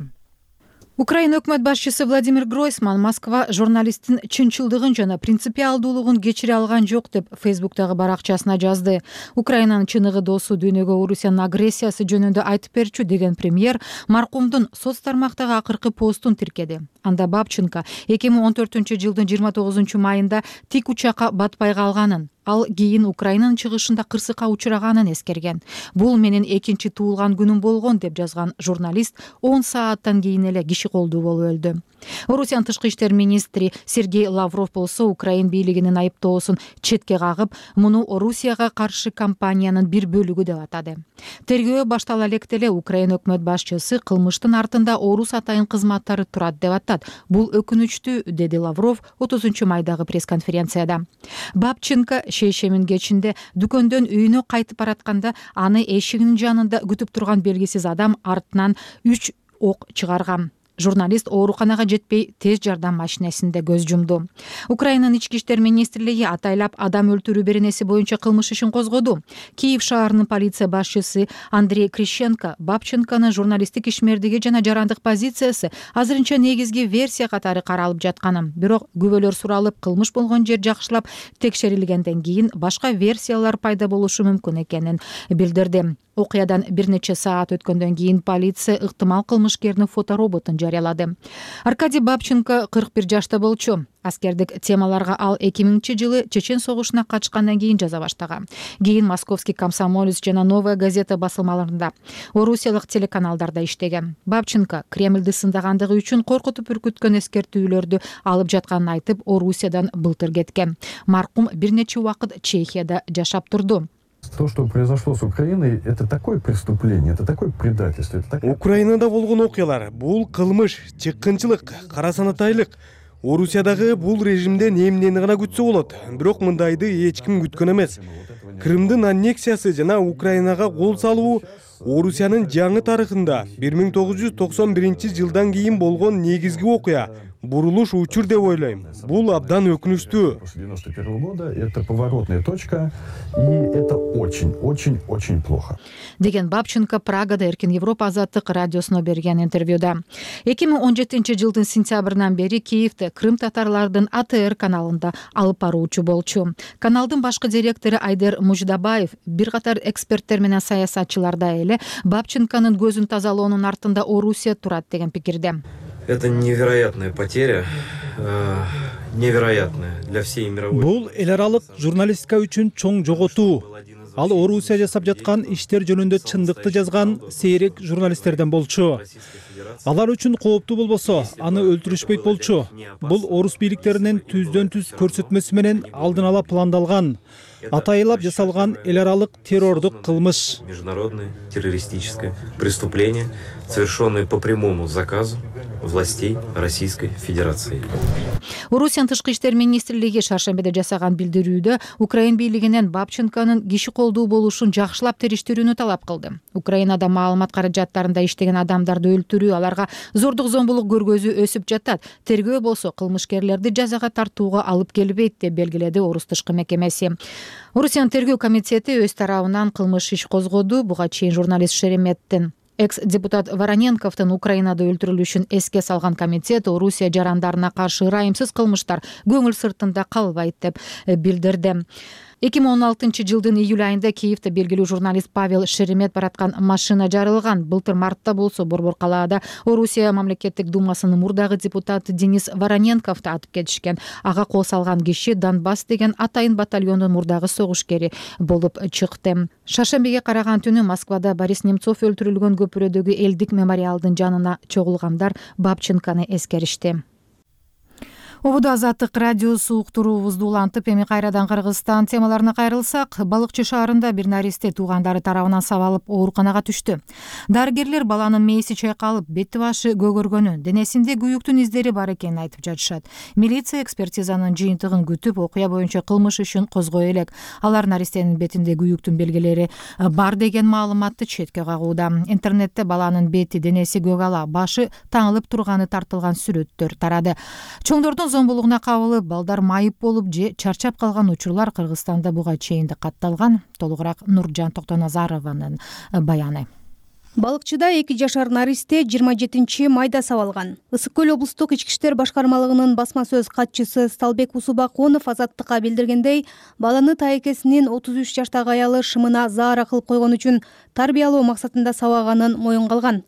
Украина өкмөт башчысы Владимир Гройсман Москва журналисттин чынчылдыгын жана принципиалдуулугун кечире алган жок деп Фейсбуктагы баракчасына жазды. Украинанын чыныгы досу дүйнөгө Орусиянын агрессиясы жөнүндө айтып берчү деген премьер маркумдун соц тармактагы акыркы постун тиркеди. Анда Бабченко 2014-жылдын 29 майында тик учакка батпай калганын, ал кийин Украинанын чыгышында кырсыкка учураганын эскерген. Бул менин экинчи туулган күнүм болгон деп жазган журналист 10 сааттан кийин эле киши колдуу болуп өлдү. Орусиянын тышкы иштер министри Сергей Лавров болсо Украин бийлигинин айыптоосун четке кагып, муну Орусияга каршы кампаниянын бир бөлүгү деп атады. Тергөө баштала электе эле Украин өкмөт башчысы кылмыштын артында орус атайын кызматтары турат деп атат. Бул өкүнүчтүү, деди Лавров 30 майдагы пресс-конференцияда. Бабченко шейшемин кечинде дүкөндөн үйүнө кайтып баратканда аны эшигинин жанында күтүп турган белгисиз адам артынан 3 ок чыгарган. Журналист ооруканага жетпей тез жардам машинесинде көз жумду. Украинанын ички иштер министрлиги атайлап адам өлтүрүү беренеси боюнча кылмыш ишин козгоду. Киев шаарынын полиция башчысы Андрей Крищенко Бабченконун журналисттик ишмердиги жана жарандык позициясы азырынча негизги версия катары каралып жатканын, бирок күбөлөр суралып, кылмыш болгон жер жакшылап текшерилгенден кийин башка версиялар пайда болушу мүмкүн экенин билдирди. Окуядан бир нече саат өткөндөн кийин полиция ыктымал кылмышкердин фотороботун жарыялады. Аркадий Бабченко 41 жашта болчу. Аскердик темаларга ал 2000-жылы Чечен согушуна катышкандан кийин жаза баштаган. Кийин Московский комсомолец жана Новая газета басылмаларында, орусиялык телеканалдарда иштеген. Бабченко Кремльди сындагандыгы үчүн коркутуп үркүткөн эскертүүлөрдү алып жатканын айтып, Орусиядан былтыр кеткен. Маркум бир нече убакыт Чехияда жашап турду. То, что произошло с Украиной, это такое преступление, это такое предательство. Украинада болгон окуялар бул кылмыш, чыккынчылык, карасанатайлык. Орусиядагы бул режимден эмнени гана күтсө болот, бирок мындайды эч ким күткөн эмес. Крымдын аннексиясы жана Украинага кол салуу Орусиянын жаңы тарыхында 1991-жылдан кийин болгон негизги окуя. Бурулуш учур деп ойлойм. Бул абдан өкүнүчтүү. 91 года это поворотная точка, и это очень плохо. Деген Бабченко Прагада Эркин Европа азаттык радиосуна берген интервьюда. 2017-жылдын сентябрынан бери Киевде Крым татарлардын АТР каналында алып баруучу болчу. Каналдын башкы директору Айдер Муждабаев бир катар эксперттер менен саясатчыларда эле Бабченконун көзүн тазалоонун артында Орусия турат деген пикирде. Это невероятная потеря, невероятная для всей мировой. Бул эл аралык журналистика үчүн чоң жоготуу. Ал Орусия жасап жаткан иштер жөнүндө чындыкты жазган сейрек журналисттерден болчу. Алар үчүн кооптуу болбосо, аны өлтүрүшпөйт болчу. Бул орус бийликтеринин түздөн-түз көрсөтмөсү менен алдын ала пландалган, атайылап жасалган эл аралык террордук кылмыш. Международное террористическое преступление, совершенное по прямому заказу властей Российской Федерации. Орусиянын тышкы иштер министрлиги шаршембиде жасаган билдирүүдө Украин бийлигинен Бабченконун киши колдуу болушун жакшылап териштирүүнү талап кылды. Украинада маалымат каражаттарында иштеген адамдарды өлтүрүү, аларга зордук зомбулук көргөзүү өсүп жатат. Тергөө болсо кылмышкерлерди жазага тартууга алып келбейт деп белгиледи Орус тышкы мекемеси. Орусиянын тергөө комитети өз тарабынан кылмыш иш козгоду. Буга чейин журналист Шереметтин Экс-депутат Вороненковдун Украинада өлтүрүлүшүн эске салган комитет Орусия жарандарына каршы ырайымсыз кылмыштар көңүл сыртында калбайт деп билдирди. 2016-жылдын июль айында Киевде белгилүү журналист Павел Шеремет бараткан машина жарылган. Былтыр мартта болсо Борбор калаада Орусия мамлекеттик думасынын мурдагы депутаты Денис Вороненковду атып кетишкен. Ага кол салган киши Донбасс деген атайын батальондун мурдагы согушкери болуп чыкты. Шаршембиге караган түнү Москвада Борис Немцов өлтүрүлгөн көпүрөдөгү элдик мемориалдын жанына чогулгандар Бабченканы эскеришти. Обуду Азаттык радиосу уктуруубузду улантып, эми кайрадан Кыргызстан темаларына кайрылсак, Балыкчы шаарында бир наристе туугандары тарабынан сабалып ооруканага түштү. Дарыгерлер баланын мээси чайкалып, бети башы көгөргөнү, денесинде күйүктүн издери бар экенин айтып жатышат. Милиция экспертизанын жыйынтыгын күтүп, окуя боюнча кылмыш ишин козгой элек. Алар наристенин бетинде күйүктүн белгилери бар деген маалыматты четке кагууда. Интернетте баланын бети, денеси көгала, башы таңылып турганы тартылган сүрөттөр тарады. Чоңдордун зомбулугуна кабылып, балдар майып болуп же чарчап калган учурлар Кыргызстанда буга чейин да катталган. Толугураак Нуржан Токтоназарованын баяны. Балыкчыда 2 жашар наристе 27 майда сабалган. Ысык көл облустук ички иштер башкармалыгынын басма сөз катчысы Сталбек Усубакунов Азаттыкка билдиргендей, баланы тайекесинин 33 жаштагы аялы шымына заара кылып койгон үчүн тарбиялоо максатында сабаганын моюнга алган.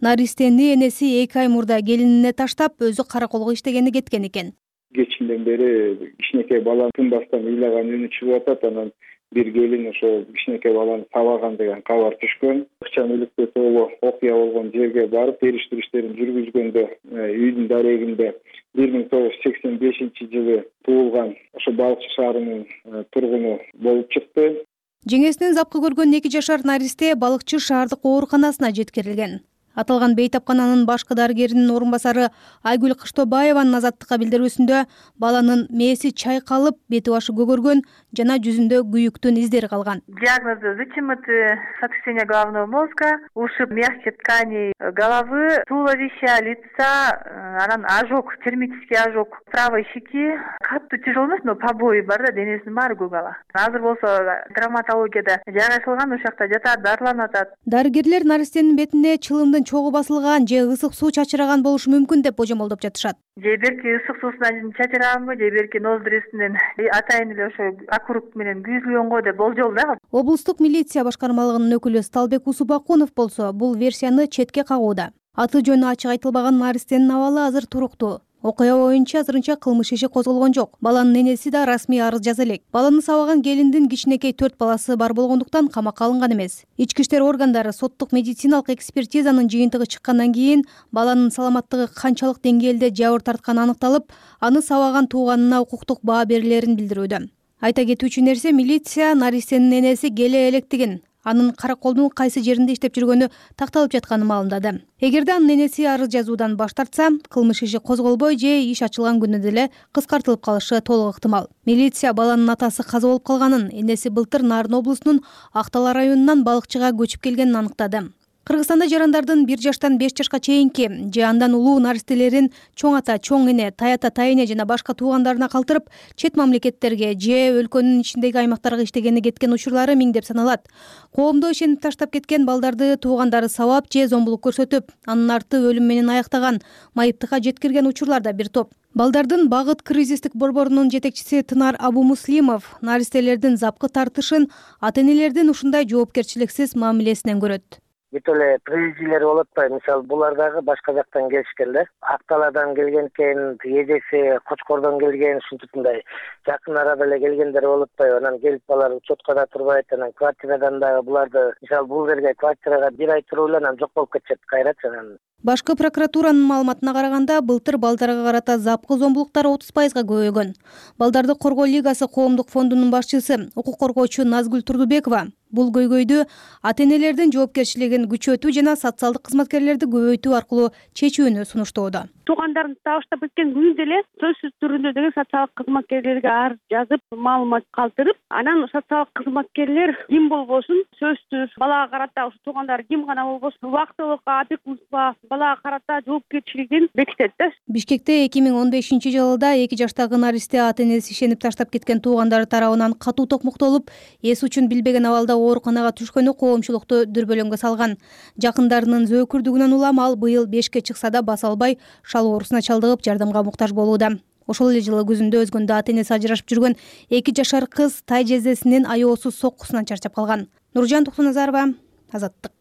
Наристени энеси 2 ай мурда келинине таштап, өзү караколго иштегени кеткен экен. Кечинден бери кичинекей баланы тынбастан ыйлаган үнү чыгып атат, анан бир келин ошо кичинекей баланы сабаган деген кабар түшкөн. Ыкчам иликтөө тобу окуя болгон жерге барып териштирүү иштерин жүргүзгөндө үйдүн дарегинде 1985-жылы туулган ошо Балыкчы шаарынын тургуну болуп чыкты. Жеңесинен запкы көргөн 2 жашар наристе Балыкчы шаардык ооруканасына жеткирилген. Аталган бейтапкананын башкы дарыгеринин орун басары Айгүл Кыштобаеванын Азаттыкка билдирүүсүндө баланын мээси чайкалып, бети башы көгөргөн жана жүзүндө күйүктүн издери калган. Диагнозы вытянуты сотрясение головного мозга, ушиб мягких тканей головы, туловища, лица, анан ожог, термический ожог правой щеки. Катуу тяжело эмес, но побои бар да, денесинин баары көгала. Азыр болсо травматологияда жайгашылган, ошол жакта жатат, дарыланып атат. Дарыгерлер наристенин бетине чылымдын чогуу басылган же ысык суу чачыраган болушу мүмкүн деп божомолдоп жатышат. Же берки ысык суусунан чачыраганбы, же берки ноздрисинен атайын эле ошо окурук менен күйүзүлгөн го деп болжол да. Облустук милиция башкармалыгынын өкүлү Сталбек Усубакунов болсо бул версияны четке кагууда. Аты жөнү ачык айтылбаган наристенин абалы азыр туруктуу. Окуя боюнча азырынча кылмыш иши козголгон жок. Баланын энеси да расмий арыз жаза элек. Баланы сабаган келиндин кичинекей 4 баласы бар болгондуктан камакка алынган эмес. Ички иштер органдары соттук медициналык экспертизанын жыйынтыгы чыккандан кийин баланын саламаттыгы канчалык деңгээлде жабыр тартканы аныкталып, аны сабаган тууганына укуктук баа берилерин билдирүүдө. Айта кетүүчү нерсе, милиция наристенин энеси келе электигин, анын караколдун кайсы жеринде иштеп жүргөнү такталып жатканын маалымдады. Эгерде анын энеси арыз жазуудан баш тартса, кылмыш иши козголбой же иш ачылган күнү деле кыскартылып калышы толук ыктымал. Милиция баланын атасы каза болуп калганын, энеси былтыр Нарын облусунун Актала районунан Балыкчыга көчүп келгенин аныктады. Кыргызстанда жарандардын 1 жаштан 5 жашка чейинки же андан улуу наристелерин чоң ата, чоң эне, тайата, тайэне жана башка туугандарына калтырып, чет мамлекеттерге же өлкөнүн ичиндеги аймактарга иштегени кеткен учурлары миңдеп саналат. Коомдо ишенип таштап кеткен балдарды туугандары сабап же зомбулук көрсөтүп, анын арты өлүм менен аяктаган, майыптыкка жеткирген учурлар да бир топ. Балдардын багыт кризистик борборунун жетекчиси Тынар Абумуслимов наристелердин запкы тартышын ата-энелердин ушундай жоопкерчиликсиз мамилесинен көрөт. Бүт эле приезжилер болуп атпайбы, мисалы булар дагы башка жактан келишкен да. Акталадан келген экен, эжеси Кочкордон келген, ушинтип мындай жакын арада эле келгендер болуп атпайбы. Анан келип алар учеткада турбайт, анан квартирадан дагы буларды, мисалы бул жерге квартирага 1 ай туруп эле анан жок болуп кетишет кайрач анан. Башкы прокуратуранын маалыматына караганда, былтыр балдарга карата запкы зомбулуктар 30%га көбөйгөн. Балдарды коргоо лигасы коомдук фондунун башчысы, укук коргоочу Назгүл Турдубекова бул көйгөйдү ата-энелердин жоопкерчилигин күчөтүү жана социалдык кызматкерлерди көбөйтүү аркылуу чечүүнү сунуштоодо. Туугандарын табыштап кеткен күндө эле сөзсүз түрүндө деген социалдык кызматкерлерге арыз жазып, маалымат калтырып, анан социалдык кызматкерлер ким болбосун сөзсүз балага карата ушу туугандар ким гана болбосун убактылык опекунство балага карата жоопкерчилигин бекитет да. Бишкекте 2015-жылда 2 жаштагы наристе ата-энеси ишенип таштап кеткен туугандары тарабынан катуу токмоктолуп, эс учун билбеген абалда ооруканага түшкөнү коомчулукту дүрбөлөңгө салган. Жакындарынын зөөкүрдүгүнөн улам ал быйыл 5-ке чыкса да баса албай, шал оорусуна чалдыгып жардамга муктаж болууда. Ошол эле жылы күзүндө өзгөндө ата-энеси ажырашып жүргөн 2 жашар кыз тай жездесинин аеосуз соккусунан чарчап калган. Нуржан Токтоназарова, Азаттык.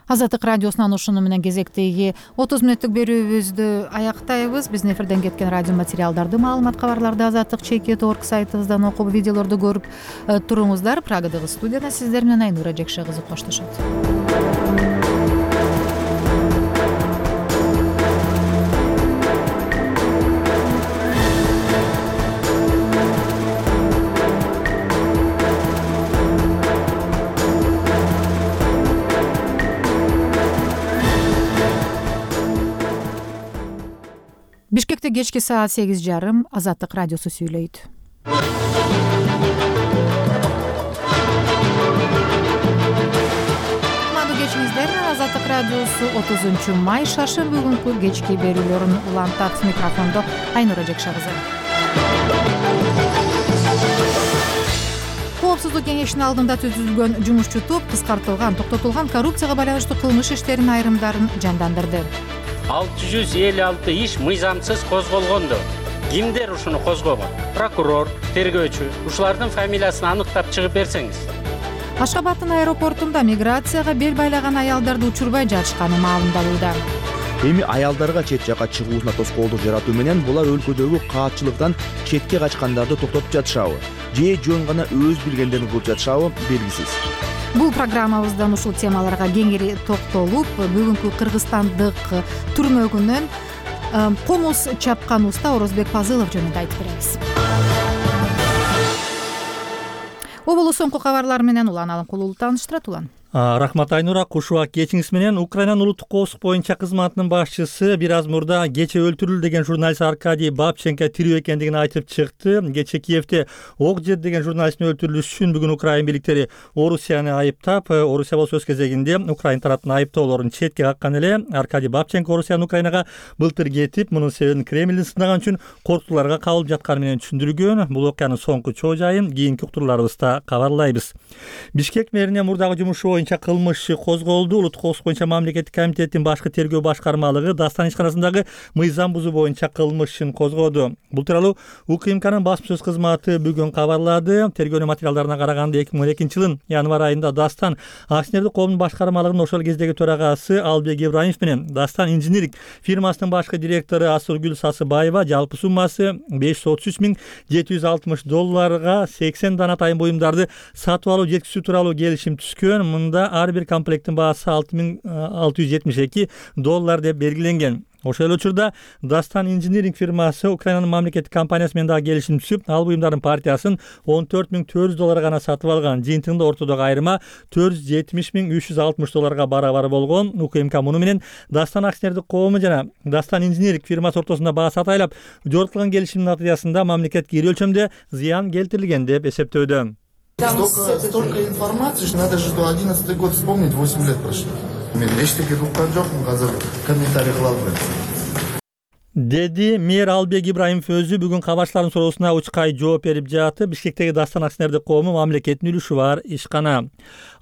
Азаттык радиосунан ушуну менен кезектеги 30 мүнөттүк берүүбүздү аяктайбыз. Биздин эфирден кеткен радио материалдарды, маалымат, кабарларды azattik.org сайтыбыздан окуп, видеолорду көрүп туруңуздар. Прагадагы студияда сиздер менен Айнура Жекше кызы коштошот. Бишкекте кечки саат 8:30 Азаттык радиосу сүйлөйт. Кутмандуу кечиңиздер. Азаттык радиосу 30 май шаршемби күнкү кечки берүүлөрүн улантат. Микрофондо Айнура Жекше кызы. Коопсуздук кеңешинин алдында түзүлгөн жумушчу топ токтотулган коррупцияга байланыштуу кылмыш иштеринин айрымдарын жандандырды. 656 иш мыйзамсыз козголгондо. Кимдер ушуну козгогон? Прокурор, тергөөчү, ушулардын фамилиясын аныктап чыгып берсеңиз. Ашгабадтын аэропортунда миграцияга бел байлаган аялдарды учурбай жатышканы маалымдалууда. Эми аялдарга чет жакка чыгуусуна тоскоолдук жаратуу менен булар өлкөдөгү каатчылыктан четке качкандарды токтотуп жатышабы же жөн гана өз билгендерин кылып жатышабы белгисиз. Бул программабыздан ушул темаларга кеңири токтолуп, бүгүнкү кыргызстандык түрмөгүнөн комуз чапкан уста Орозбек Пазылов жөнүндө айтып беребиз. Оболу соңку кабарлар менен Улан Алымкулуу тааныштырат. Улан. Рахмат Айнура, куш убак кечиңиз менен. Украинанын улуттук коопсуздук боюнча кызматынын башчысы бир аз мурда кече өлтүрүлдү деген журналист Аркадий Бабченко тирүү экендигин айтып чыкты. Кече Киевде Окжет деген журналисттин өлтүрүлүшү үчүн бүгүн Украин бийликтери Орусияны айыптап, Орусия болсо өз кезегинде Украин тараптын айыптоолорун четке каккан эле. Аркадий Бабченко Орусиянын Украинага былтыр кетип, мунун себебин Кремлдин сынаган үчүн коркутууларга кабылып жатканы менен түшүндүргөн. Бул окуянын соңку чоо жайын кийинки уктурууларыбызда кабарлайбыз. Бишкек мэрине мурдагы жумушу боюнча кылмыш иши козголду. Улуттук коопсуздук боюнча мамлекеттик комитеттин башкы тергөө башкармалыгы Дастан ишканасындагы мыйзам бузуу боюнча кылмыш ишин козгоду. Бул тууралуу УКМКнын басма сөз кызматы бүгүн кабарлады. Тергөөнүн материалдарына караганда 2012 жылдын январь айында Дастан акционердик коомдун башкармалыгынын ошол кездеги төрагасы Албек Ибраимов менен Дастан инжиниринг фирмасынын башкы директору Асылгүл Сасыбаева жалпы суммасы $533,760 80 дана тайын буюмдарды сатып алуу жеткизүү тууралуу келишим түзгөн. Мында ар бир комплекттин баасы $6,672 деп белгиленген. Ошол учурда Дастан инжиниринг фирмасы Украинанын мамлекеттик компаниясы менен дагы келишим түзүп, ал буюмдардын партиясын $14,400 гана сатып алган. Жыйынтыгында ортодогу айырма $470,360 барабар болгон. УКМК муну менен Дастан акционердик коому жана Дастан инжиниринг фирмасы ортосунда баа сатайлап жогорткулган келишимдин натыйжасында мамлекетке ири өлчөмдө зыян келтирилген деп эсептөөдө. Столько информации, что надо же 11-й год вспомнить, 8 лет прошло. Эчтеке уккан жокмун, азыр комментарий кыла албайм. Деди мэр Албек Ибраимов өзү бүгүн кабарчылардын суроосуна учкай жооп берип жатты. Бишкектеги Дастан акционердик коому мамлекеттин үлүшү бар ишкана.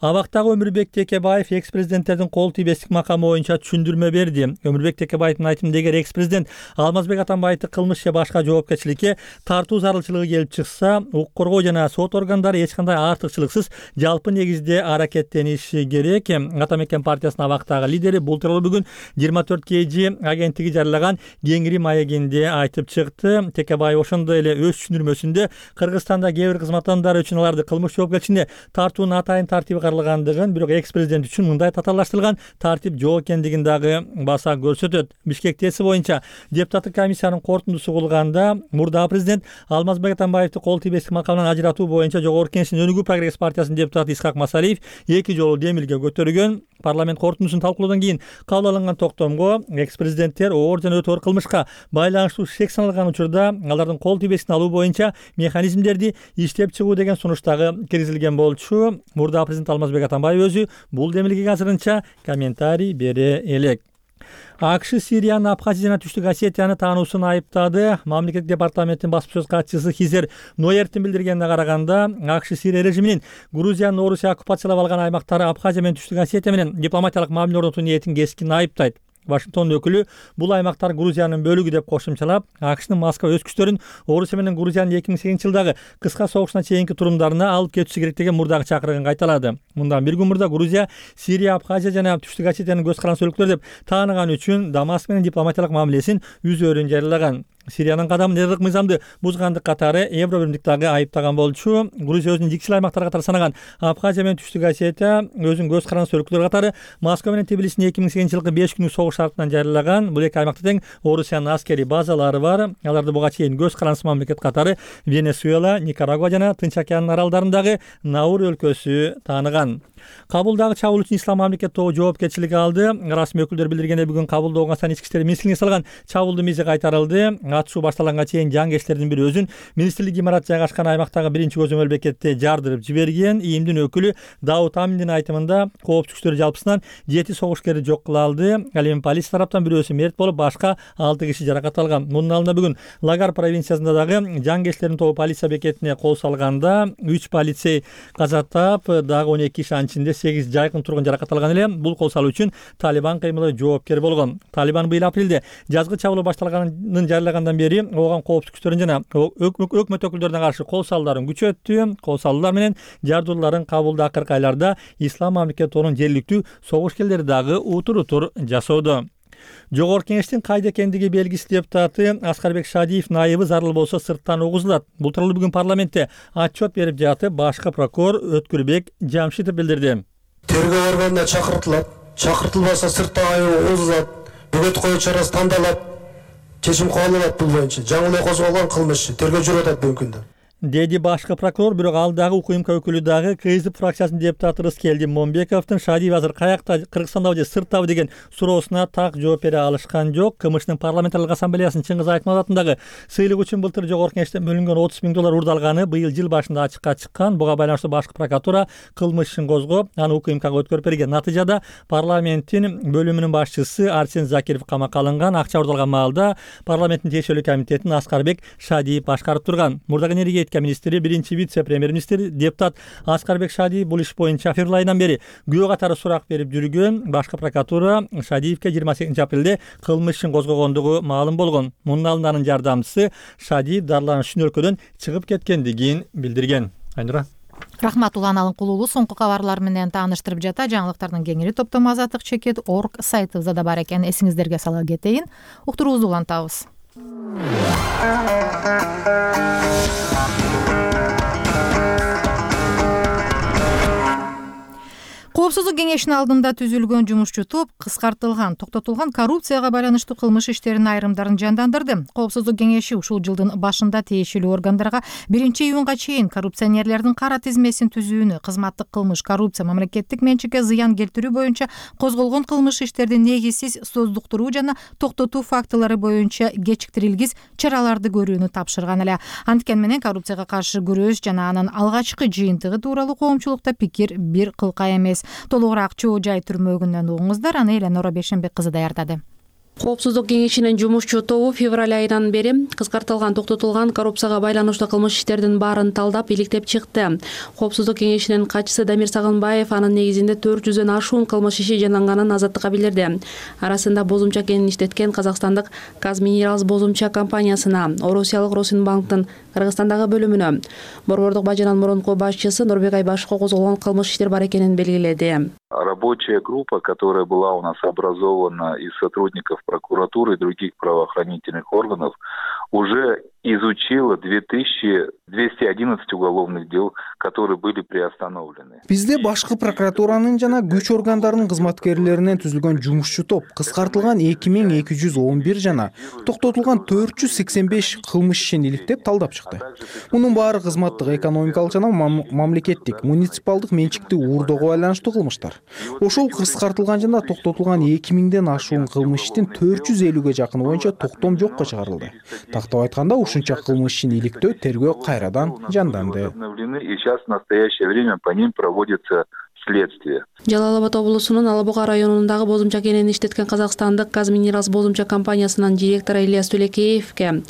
Абактагы Өмүрбек Текебаев экс-президенттердин кол тийбестик макамы боюнча түшүндүрмө берди. Өмүрбек Текебаевдин айтымында эгер экс-президент Алмазбек Атамбаевди кылмыш же башка жоопкерчиликке тартуу зарылчылыгы келип чыкса, укук коргоо жана сот органдары эч кандай артыкчылыксыз жалпы негизде аракеттениши керек. Атамекен партиясынын абактагы лидери бул тууралуу бүгүн 24 KG агенттиги жарыялаган Кеңири маегинде айтып чыкты. Текебаев ошондой эле өз түшүндүрмөсүндө Кыргызстанда кээ бир кызмат адамдары үчүн аларды кылмыш жоопкерчилигине тартуунун атайын тартиби каралгандыгын, бирок экс-президент үчүн мындай татаалаштырылган тартип жок экендигин дагы баса көрсөтөт. Бишкектеси боюнча депутаттык комиссиянын корутундусу кылганда мурдагы президент Алмазбек Атамбаевди кол тийбестик макамынан ажыратуу боюнча жогорку кеңештин Өнүгүү прогресс партиясынын депутаты Исхак Масалиев 2 жолу демилге көтөргөн. Парламент корутундусун талкуулоодон кийин кабыл алынган токтомго экс-президенттер оор жана өтө оор кылмышка байланыштуу шек саналган учурда алардын кол тийбестигин алуу боюнча механизмдерди иштеп чыгуу деген сунуш дагы киргизилген болчу. Мурда президент Алмазбек Атамбаев өзү бул демилгеге азырынча комментарий бере элек. АКШ Сириянын Абхазия жана Түштүк Осетияны таануусун айыптады. Мамлекеттик департаменттин басма сөз катчысы Хизер Ноерттин билдиргенине караганда, АКШ Сирия режиминин Грузиянын Орусия оккупациялап алган аймактары Абхазия менен Түштүк Осетия менен дипломатиялык мамиле орнотуу ниетин кескин айыптайт. Вашингтон өкүлү бул аймактар Грузиянын бөлүгү деп кошумчалап, АКШнын Москва өз күчтөрүн Орусия менен Грузиянын 2008 жылдагы кыска согушуна чейинки турумдарына алып кетиши керек деген мурдагы чакырыгын кайталады. Мындан бир күн мурда Грузия Сирия, Абхазия жана Түштүк Осетиянын көз каранды өлкөлөр деп тааныган үчүн Дамаск менен дипломатиялык мамилесин үзөөрүн жарыялаган. Сириянын кадамын эрдик мыйзамды бузгандык катары Евробиримдик дагы айыптаган болчу. Грузия өзүнүн жикчил аймактар катары санаган Абхазия менен Түштүк Осетия өзүнүн көз каранды өлкөлөр катары Москва менен Тбилисинин 2008 жылкы 5 күнүк согуш шартынан жарыялаган. Бул эки аймакта тең Орусиянын аскерий базалары бар. Аларды буга чейин көз карандысы мамлекет катары Венесуэла, Никарагуа жана Тынч океанын аралдарындагы Наур өлкөсү тааныган. Кабулдагы чабуул үчүн Ислам мамлекет тобу жоопкерчилик алды. Расмий өкүлдөр билдиргендей, бүгүн Кабулда Оңгостан ички иштер министрлигине салган чабуулдун мизи кайтарылды. Атышуу башталганга чейин жангерчилердин бири өзүн министрлик имараты жайгашкан аймактагы биринчи көзөмөл бекетте жардырып жиберген. ИИМдин өкүлү Дауд Аминдин айтымында, коопсуздук күчтөрү жалпысынан 7 согушкерди жок кыла алды. Ал эми полиция тараптан бирөөсү мерт болуп, башка 6 киши жаракат алган. Мунун алдында бүгүн Лагар провинциясында дагы жангерчилердин тобу полиция бекетине кол салганда 3 полицей каза таап, дагы 12 киши ичинде 8 жайкын тургун жаракат алган эле. Бул кол салуу үчүн Талибан кыймылы жоопкер болгон. Талибан быйыл апрелде жазгы чабуул башталганын жарыялагандан бери ооган коопсуздук күчтөрүн жана өкмөт өкүлдөрүнө каршы кол салууларын күчөттү. Кол салуулар менен жардууларын Кабулда акыркы айларда Ислам мамлекет тобунун жергиликтүү согушкерлери дагы утур жасоодо. Жогорку кеңештин кайда экендиги белгисиз депутаты Аскарбек Шадиев найыбы зарыл болсо сырттан угузулат. Бул тууралуу бүгүн парламентте отчет берип жатып, башкы прокурор Өткүрбек Жамшитов билдирди. Тергөө органына чакыртылат, чакыртылбаса сырттан айыбы угузулат, бөгөт коюу чарасы тандалат, чечим кабыл алат. Бул боюнча жаңы эле козголгон кылмыш тергөө жүрүп атат бүгүнкү күндө, деди башкы прокурор. Бирок ал дагы УКМК өкүлү дагы КСДП фракциясынын депутаты Рыскелди Момбековдун Шадиев азыр каякта, Кыргызстандабы же сырттабы деген суроосуна так жооп бере алышкан жок. КМШнын парламентарлык ассамблеясынын Чыңгыз Айтматов атындагы сыйлык үчүн былтыр жогорку кеңештен бөлүнгөн 30 000 доллар урдалганы быйыл жыл башында ачыкка чыккан. Буга байланыштуу башкы прокуратура кылмыш ишин козгоп, аны УКМКга өткөрүп берген. Натыйжада парламенттин бөлүмүнүн башчысы Арсен Закиров камакка алынган. Акча урдалган маалда парламенттин тиешелүү комитетин Аскарбек Шадиев башкарып турган. Мурдагы энергетика министри, биринчи вице-премьер-министр депутат Аскарбек Шадиев бул иш боюнча февраль айынан бери күбө катары сурак берип жүргөн. Башкы прокуратура Шадиевке 28 апрелде кылмыш ишин козгогондугу маалым болгон. Мунун алдында анын жардамчысы Шадиев дарыланыш үчүн өлкөдөн чыгып кеткендигин билдирген. Айнура. Рахмат, Улан Алынкулуулу соңку кабарлар менен тааныштырып жата. Жаңылыктардын кеңири топтому azatlyk.org сайтыбызда да бар экен. Эсиңиздерге сала кетейин. Уктуруубузду улантабыз. Коопсуздук кеңешинин алдында түзүлгөн жумушчу топ кыскартылган, токтотулган коррупцияга байланыштуу кылмыш иштеринин айрымдарын жандандырды. Коопсуздук кеңеши ушул жылдын башында тиешелүү органдарга 1-июнга чейин коррупционерлердин кара тизмесин түзүүнү, кызматтык кылмыш, коррупция, мамлекеттик менчикке зыян келтирүү боюнча козголгон кылмыш иштердин негизсиз создуктуруу жана токтотуу фактылары боюнча кечиктирилгис чараларды көрүүнү тапшырган эле. Анткени менен коррупцияга каршы күрөш жана анын алгачкы жыйынтыгы тууралуу коомчулукта пикир бир кылка эмес. Толугураак Чоо Жай түрмөгүнөн угуңуздар, аны Эленора Бешенбек кызы даярдады. Коопсуздук кеңешинин жумушчу тобу февраль айынан бери кыскартылган, токтотулган коррупцияга байланыштуу кылмыш иштердин баарын талдап, иликтеп чыкты. Коопсуздук кеңешинин катчысы Дамир Сагынбаев анын негизинде 400дөн ашуун кылмыш иши жанданганын азаттыкка билдирди. Арасында бозумча кенин иштеткен казакстандык Казминералс бозумча компаниясына, Орусиялык Росинбанктын Кыргызстандагы бөлүмүнө, Борбордук бажанын мурунку башчысы Нурбек Айбашевго козголгон кылмыш иштер бар экенин белгиледи. Рабочая группа, которая была у нас образована из сотрудников прокуратуры и других правоохранительных органов, уже изучила 2211 уголовных дел, которые были приостановлены. Бизде башкы прокуратуранын жана күч органдарынын кызматкерлеринен түзүлгөн жумушчу топ кыскартылган 2211 жана токтотулган 485 кылмыш ишин иликтеп талдап чыкты. Мунун баары кызматтык, экономикалык жана мамлекеттик, муниципалдык менчикти уурдоого байланыштуу кылмыштар. Ошол кыскартылган жана токтотулган 2000ден ашуун кылмыш иштин 450ге жакыны боюнча токтом жокко чыгарылды. Тактап айтканда, ушунча кылмыш ишин иликтөө, тергөө кайрадан жанданды. И сейчас в настоящее время по ним проводится следствия. Жалал Абад облусунун Ала Буга районундагы бозумча кенени иштеткен казакстандык Казминералс бозумча компаниясынын директору Ильяс Төлекеевке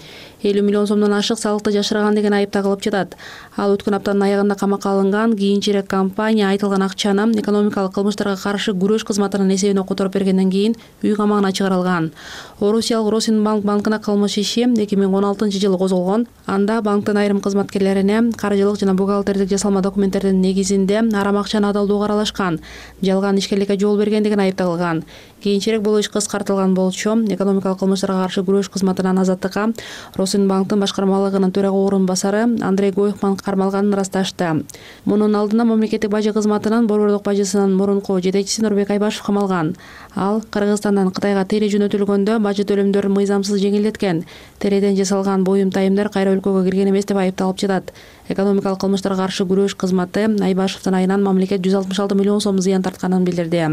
50 миллион сомдон ашык салыкты жашырган деген айып тагылып жатат. Ал өткөн аптанын аягында камакка алынган. Кийинчерээк компания айтылган акчаны экономикалык кылмыштарга каршы күрөш кызматынын эсебине которуп бергенден кийин үй камагына чыгарылган. Орусиялык Росинбанк банкына кылмыш иши 2016-жылы козголгон. Анда банктын айрым кызматкерлерине каржылык жана бухгалтердик жасалма документтердин негизинде арам акчаны адалдоого аралашкан, жалган ишкерликке жол берген деген айып тагылган. Кийинчерээк бул иш кыскартылган болчу. Экономикалык кылмыштарга каршы күрөш кызматынын азаттыкка Росинбанктын башкармалыгынын төрага орун басары Андрей Гойхман кармалганын ырасташты. Мунун алдында мамлекеттик бажы кызматынын борбордук бажысынын мурунку жетекчиси Нурбек Айбашев камалган. Ал Кыргызстандан Кытайга тере жөнөтүлгөндө бажы төлөмдөрүн мыйзамсыз жеңилдеткен. Тереден жасалган буюм тайымдар кайра өлкөгө кирген эмес деп айыпталып жатат. Экономикалык кылмыштарга каршы күрөш кызматы Айбашевдин айынан мамлекет 166 миллион сом зыян тартканын билдирди.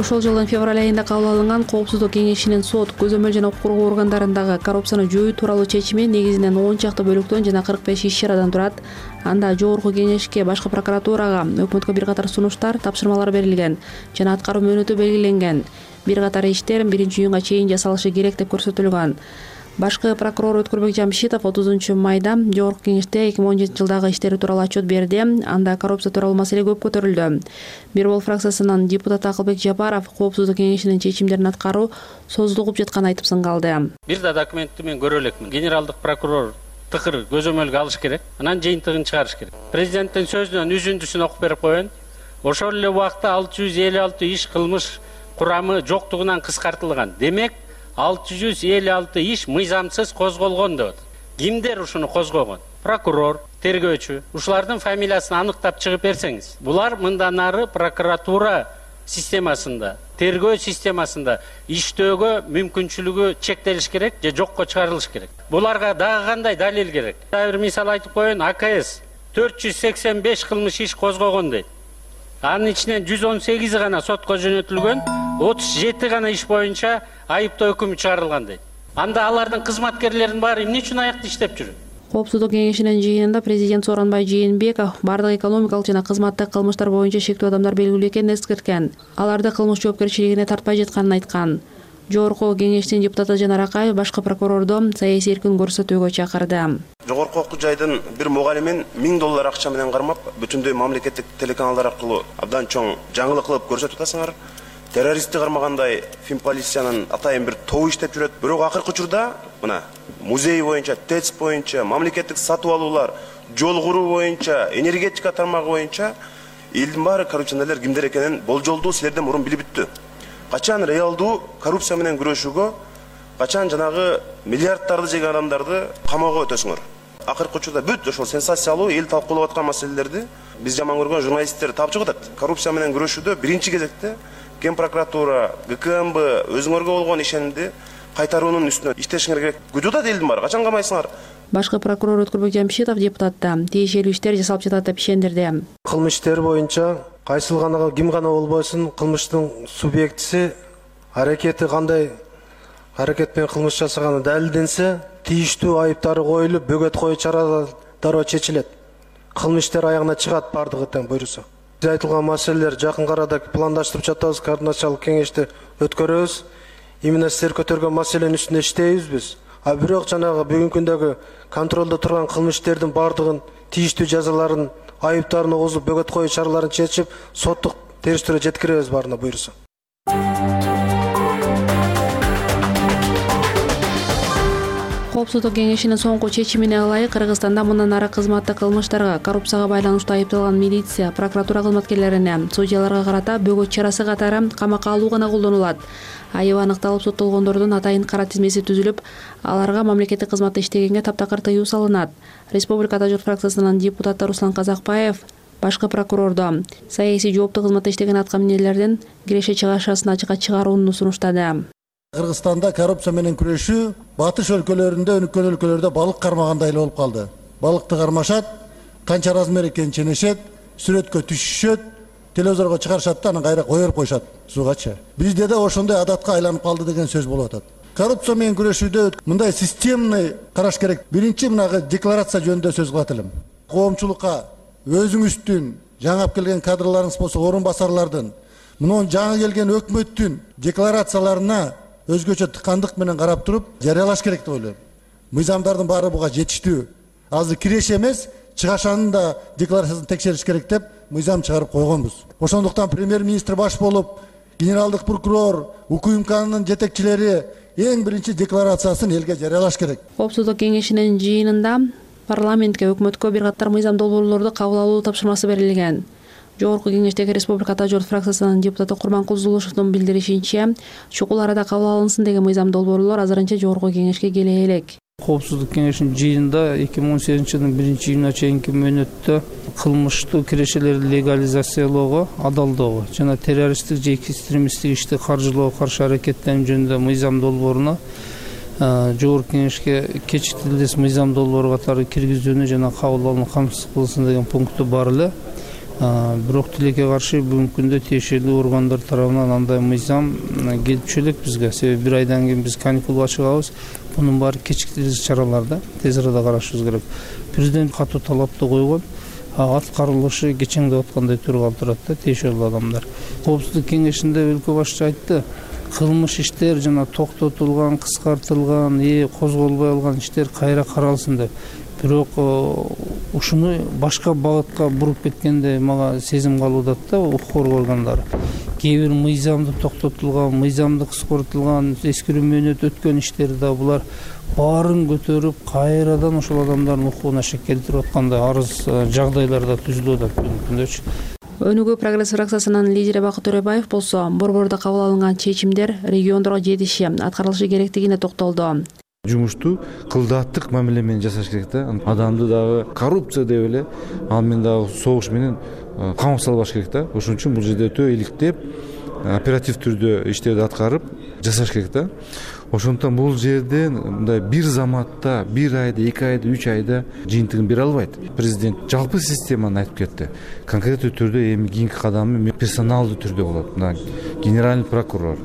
Ошол жылдын февраль айында кабыл алынган Коопсуздук кеңешинин сот, көзөмөл жана укук коргоо органдарындагы коррупцияны жоюу тууралуу чечими негизинен 10 чакты бөлүктөн жана 45 иш-чарадан турат. Анда жогорку кеңешке, башкы прокуратурага, өкмөткө бир катар сунуштар, тапшырмалар берилген жана аткаруу мөөнөтү белгиленген. Бир катар иштер 1-июнга чейин жасалышы керек деп көрсөтүлгөн. Башкы прокурор Өткүрбек Жамшитов 30-майда жогорку кеңеште 2017-жылдагы иштери тууралуу отчет берди. Анда коррупция тууралуу маселе көп көтөрүлдү. Бир бол фракциясынын депутаты Акылбек Жапаров Коопсуздук кеңешинин чечимдерин аткаруу созулуп жатканын айтып сыңгалды. Бир да документти мен көрө элекмин. Генералдык прокурор тыкыр көзөмөлгө алыш керек, анан жыйынтыгын чыгарыш керек. Президенттин сөзүнөн үзүндүсүн окуп берип коеюн. Ошол эле убакта 656 иш кылмыш курамы жоктугунан кыскартылган. Демек 656 иш мыйзамсыз козголгон деп. Кимдер ушуну козгогон? Прокурор, тергөөчү. Ушулардын фамилиясын аныктап чыгып берсеңиз. Булар мындан ары прокуратура системасында, тергөө системасында иштөөгө мүмкүнчүлүгү чектелиш керек же жокко чыгарылыш керек. Буларга дагы кандай далил керек? Бир мисал айтып коеюн, АКС 485 кылмыш иш козгогон дейт. Анын ичинен 118 гана сотко жөнөтүлгөн, 37 гана иш боюнча айыптоо өкүмү чыгарылган дейт. Анда алардын кызматкерлеринин баары эмне үчүн аякта иштеп жүрөт? Коопсуздук кеңешинин жыйынында президент Сооронбай Жээнбеков бардык экономикалык жана кызматтык кылмыштар боюнча шектүү адамдар белгилүү экенин эскерткен. Аларды кылмыш жоопкерчилигине тартпай жатканын айткан. Жогорку кеңештин депутаты Жанар Акаев башкы прокурорду саясий эркин көрсөтүүгө чакырды. Жогорку окуу жайдын бир мугалимин $1000 акча менен кармап, бүтүндөй мамлекеттик телеканалдар аркылуу абдан чоң жаңылык кылып көрсөтүп атасыңар. Террористти кармагандай Финполициянын атайын бир тобу иштеп жүрөт. Бирок акыркы учурда мына музей боюнча, ТЭЦ боюнча, мамлекеттик сатып алуулар, жол куруу боюнча, энергетика тармагы боюнча элдин баары коррупционерлер кимдер экенин болжолдуу силерден мурун билип бүттү. Качан реалдуу коррупция менен күрөшүүгө, качан жанагы миллиарддарды жеген адамдарды камоого өтөсүңөр. Акыркы учурда бүт ошол сенсациялуу эл талкуулап аткан маселелерди биз жаман көргөн журналисттер тапчык атат. Коррупция менен күрөшүүдө биринчи кезекте Ген прокуратура, ГКМБ өзүңөргө болгон ишенимди кайтаруунун үстүнө иштешиңер керек. Күтүп атат элдин баары, качан камайсыңар? Башкы прокурор Өткүрбек Жамшитов депутатта тиешелүү иштер жасалып жатат деп ишендирди. Кылмыш иштери боюнча кайсыл гана ким гана болбосун кылмыштын субъектиси аракети кандай аракет менен кылмыш жасаганы далилденсе, тийиштүү айыптары коюлуп, бөгөт коюу чаралары дароо чечилет. Кылмыш иштери аягына чыгат бардыгы тең буйруса. Биз айтылган маселелер жакын арада пландаштырып жатабыз, координациялык кеңешти өткөрөбүз. Именно силер көтөргөн маселенин үстүндө иштейбиз биз. А бирок жанагы бүгүнкү күндөгү контролдо турган кылмыш иштердин бардыгын тийиштүү жазаларын, айыптарын огузуп, бөгөт коюу чараларын чечип, соттук териштирүүгө жеткиребиз баарына буйруса. Коопсуздук кеңешинин соңку чечимине ылайык Кыргызстанда мындан ары кызматтык кылмыштарга, коррупцияга байланыштуу айыпталган милиция, прокуратура кызматкерлерине, судьяларга карата бөгөт чарасы катары камакка алуу гана колдонулат. Айыбы аныкталып соттолгондордун атайын кара тизмеси түзүлүп, аларга мамлекеттик кызматта иштегенге таптакыр тыюу салынат. Республикада журт фракциясынын депутаты Руслан Казакбаев башкы прокурордо саясий жооптуу кызматта иштеген аткаминерлердин киреше чыгашасын ачыкка чыгарууну сунуштады. Кыргызстанда коррупция менен күрөшүү батыш өлкөлөрүндө, өнүккөн өлкөлөрдө балык кармагандай эле болуп калды. Балыкты кармашат, канча размер экенин ченешет, сүрөткө түшүшөт, телевизорго чыгарышат да анан кайра коюп коюшат сугачы. Бизде да ошондой адатка айланып калды деген сөз болуп атат. коррупция менен күрөшүүдө мындай системный караш керек. Биринчи мынагы декларация жөнүндө сөз кылат элем. Коомчулукка өзүңүздүн жаңы келген кадрларыңыз болсо орун басарлардын, мунун жаңы келген өкмөттүн декларацияларына өзгөчө тыкандык менен карап туруп жарыялаш керек деп ойлойм. Мыйзамдардын баары буга жетиштүү. Азыр киреш эмес, чыгашанын да декларациясын текшериш керек деп мыйзам чыгарып койгонбуз. Ошондуктан премьер-министр баш болуп, генералдык прокурор, УКМКнын жетекчилери эң биринчи декларациясын элге жарыялаш керек. Коопсуздук кеңешинин жыйынында парламентке, өкмөткө бир катар мыйзам долбоорлорду кабыл алуу тапшырмасы берилген. Жогорку кеңештеги Республика Ата журт фракциясынын депутаты Курманкул Зулушевдун билдиришинче, чукул арада кабыл алынсын деген мыйзам долбоорлор азырынча жогорку кеңешке келе элек. Коопсуздук кеңешинин жыйынында 2018-жылдын 1-июнуна чейинки мөөнөттө кылмыштуу кирешелерди легализациялоого, адалдоого жана террористтик же экстремисттик ишти каржылоого каршы аракеттенүү жөнүндө мыйзам долбооруна жогорку кеңешке кечиктилдес мыйзам долбоору катары киргизүүнү жана кабыл алууну камсыз кылсын деген пункту бар эле. Бирок тилекке каршы бүгүнкү күндө тиешелүү органдар тарабынан андай мыйзам келип элек бизге. Себеби бир айдан кийин биз каникулга чыгабыз. Bunun bari keçiktirici çaralarda tez arada karışımız gerek. Prezident katı talapta koygan, atkarılışı geçen de atkanday türü kaldırdı, teşekkürlü adamlar. Koopsuzluk kengешинде өлkө башчы айтты, кылмыш иштер жана токтотулган, кыскартылган, козголбой алган иштер кайра каралсын деп. Бирок ушуну башка багытка буруп кеткенде мага сезим калууда да укук органдары. Кээ бир мыйзамды токтотулган, мыйзамды кыскартылган, эскирүү мөөнөт өткөн иштер да булар баарын көтөрүп, кайрадан ошол адамдардын укугуна шек келтирип аткандай арыз жагдайларда түзүлүп атат күндөчү. Өнүгүү прогресс фракциясынын лидери Бакыт Төрөбаев болсо, борбордо кабыл алынган чечимдер региондорго жетиши, аткарылышы керектигине токтолду. Жумушту кылдааттык мамиле менен жасаш керек да. Адамды дагы коррупция деп эле, ал менен дагы согуш менен камап салбаш керек да. Ошон үчүн бул жерде өтө иликтеп, оператив түрдө иштерди аткарып жасаш керек да. Ошондуктан бул жерде мындай бир заматта, бир айда, 2 айда, 3 айда жыйынтыгын бере албайт. Президент жалпы системаны айтып кетти. Конкреттүү түрдө эми кийинки кадамы персоналдуу түрдө болот. Мына генеральный прокурор,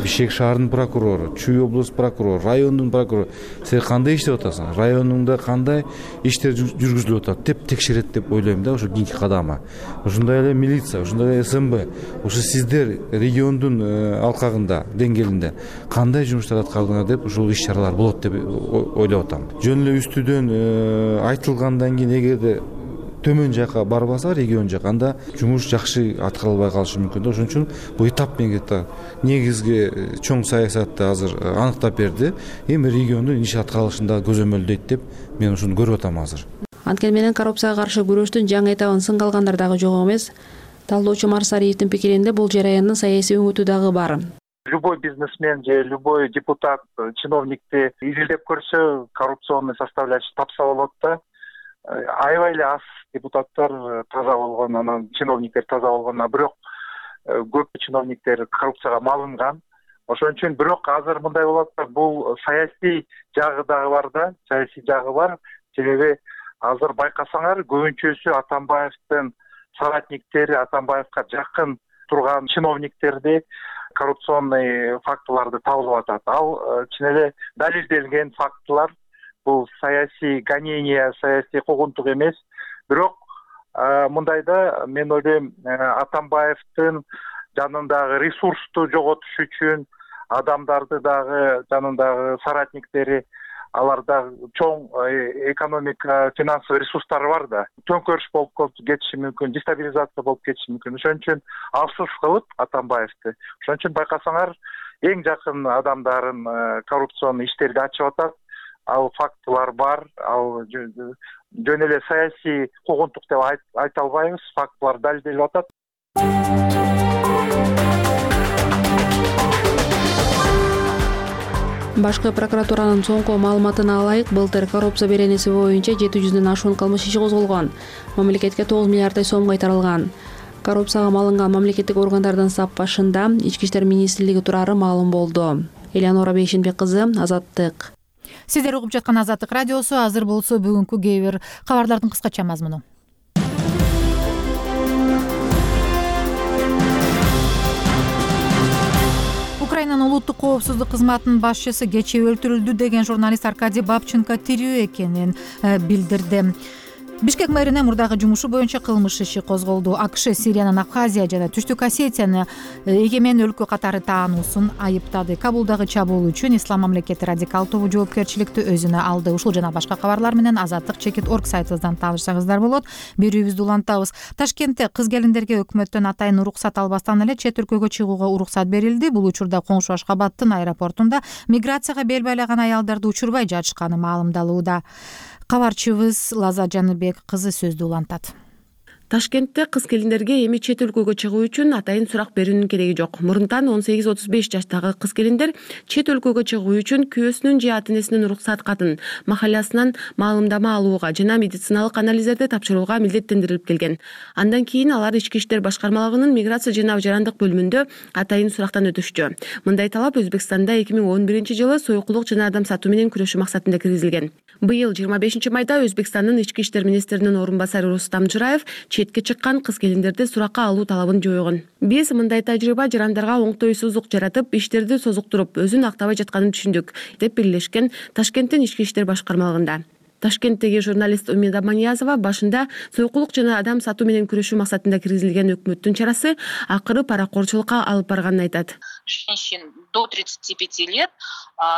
Бишкек шаарынын прокурору, Чүй облус прокурору, райондун прокурору, сен кандай иштеп атасың? Районуңда кандай иштер жүргүзүлүп атат деп текшерет деп ойлойм да, ошо кийинки кадамы. Ошондой эле милиция, ошондой эле СМБ, ошо сиздер региондун алкагында, деңгээлинде кандай жумуштар аткардыңар деп ушул иш-чаралар болот деп ойлоп атам. Жөн эле үстүдөн айтылгандан кийин эгерде төмөн жака барбаса регион жака анда жумуш жакшы аткарылбай калышы мүмкүн да. Ошон үчүн бул этап менен кетти. Негизги чоң саясатты азыр аныктап берди. Эми региондун иш аткарылышында көзөмөлдөйт деп мен ушуну көрүп атам азыр. Анткени менен коррупцияга каршы күрөштүн жаңы этабын сынга алгандар дагы жок эмес. Талдоочу Марсариевдин пикиринде бул жараяндын саясий өңүтү дагы бар. Любой бизнесмен же любой депутат, чиновникти изилдеп көрсө коррупционный составляющий тапса болот да. Аябай эле аз депутаттар таза болгон, анан чиновниктер таза болгон, бирок көп чиновниктер коррупцияга малынган. Ошон үчүн бирок азыр мындай болот да, бул саясий жагы дагы бар да, саясий жагы бар. Себеби азыр байкасаңар көбүнчөсү Атамбаевдин соратниктери, Атамбаевга жакын турган чиновниктерди коррупционный фактыларды табылып атат. Ал чын эле далилделген фактылар. Бул саясий гонение, саясий куугунтук эмес. Бирок мындайда мен ойлойм, Атамбаевдин жанындагы ресурсту жоготуш үчүн адамдарды дагы жанындагы соратниктери, аларда чоң экономика, финансовый ресурстары бар да. Төңкөрүш болуп кетиши мүмкүн, дестабилизация болуп кетиши мүмкүн. Ошон үчүн афсус кылып Атамбаевди. Ошон үчүн байкасаңар эң жакын адамдарын коррупционный иштерди ачып атат. Ал фактылар бар, ал жөн эле саясий куугунтук деп айта албайбыз, фактылар далилделип атат. Башкы прокуратуранын соңку маалыматына алайык, былтыр коррупция беренеси боюнча 700дөн ашуун кылмыш иши козголгон. Мамлекетке 9 миллиарддай сом кайтарылган. Коррупцияга малынган мамлекеттик органдардын сап башында Ички иштер министрлиги турары маалым болду. Элеонора Бейшенбек кызы, Азаттык. Сиздер угуп жаткан Азаттык радиосу. Азыр болсо бүгүнкү кээ бир кабарлардын кыскача мазмуну. Украинанын Россиянын улуттук коопсуздук кызматынын башчысы кечээ өлтүрүлдү деген журналист Аркадий Бабченко тирүү экенин билдирди. Бишкек мэринин мурдагы жумушу боюнча кылмыш иши козголду. АКШ Сириянын Абхазия жана Түштүк Осетияны эгемен өлкө катары таануусун айыптады. Кабулдагы чабуул үчүн Ислам мамлекети радикал тобу жоопкерчиликти өзүнө алды. Ушул жана башка кабарлар менен Азаттык.org сайтыбыздан таанышсаңыздар болот. Берүүбүздү улантабыз. Ташкентте кыз келиндерге өкмөттөн атайын уруксат албастан эле чет өлкөгө чыгууга уруксат берилди. Бул учурда коңшу Ашкабадтын аэропортунда миграцияга бел байлаган аялдарды учурбай жатышканы маалымдалууда. Кабарчыбыз Лаза Жаныбек кызы сөздү улантат. Ташкентте кыз келиндерге эми чет өлкөгө чыгуу үчүн атайын сурак берүүнүн кереги жок. Мурунтан 18-35 жаштагы кыз келиндер чет өлкөгө чыгуу үчүн күйөөсүнүн же ата энесинин уруксат катын, махаллясынан маалымдама алууга жана медициналык анализдерди тапшырууга милдеттендирилип келген. Андан кийин алар Ички иштер башкармалыгынын миграция жана жарандык бөлүмүндө атайын сурактан өтүшчү. Мындай талап Өзбекстанда 2011-жылы сойкулук жана адам сатуу менен күрөшүү максатында киргизилген. Быйыл 25-майда Өзбекстандын ички иштер министринин орун басары Рустам Жыраев четке чыккан кыз келиндерди суракка алуу талабын жойгон. Биз мындай тажрыйба жарандарга оңтойсуздук жаратып, иштерди созуктуруп, өзүн актабай жатканын түшүндүк, деп бирлешкен Ташкенттин ички иштер башкармалыгында. Ташкенттеги журналист Умида Маниязова башында сойкулук жана адам сатуу менен күрөшүү максатында киргизилген өкмөттүн чарасы акыры паракорчулукка алып барганын айтат. Женщин до 35 лет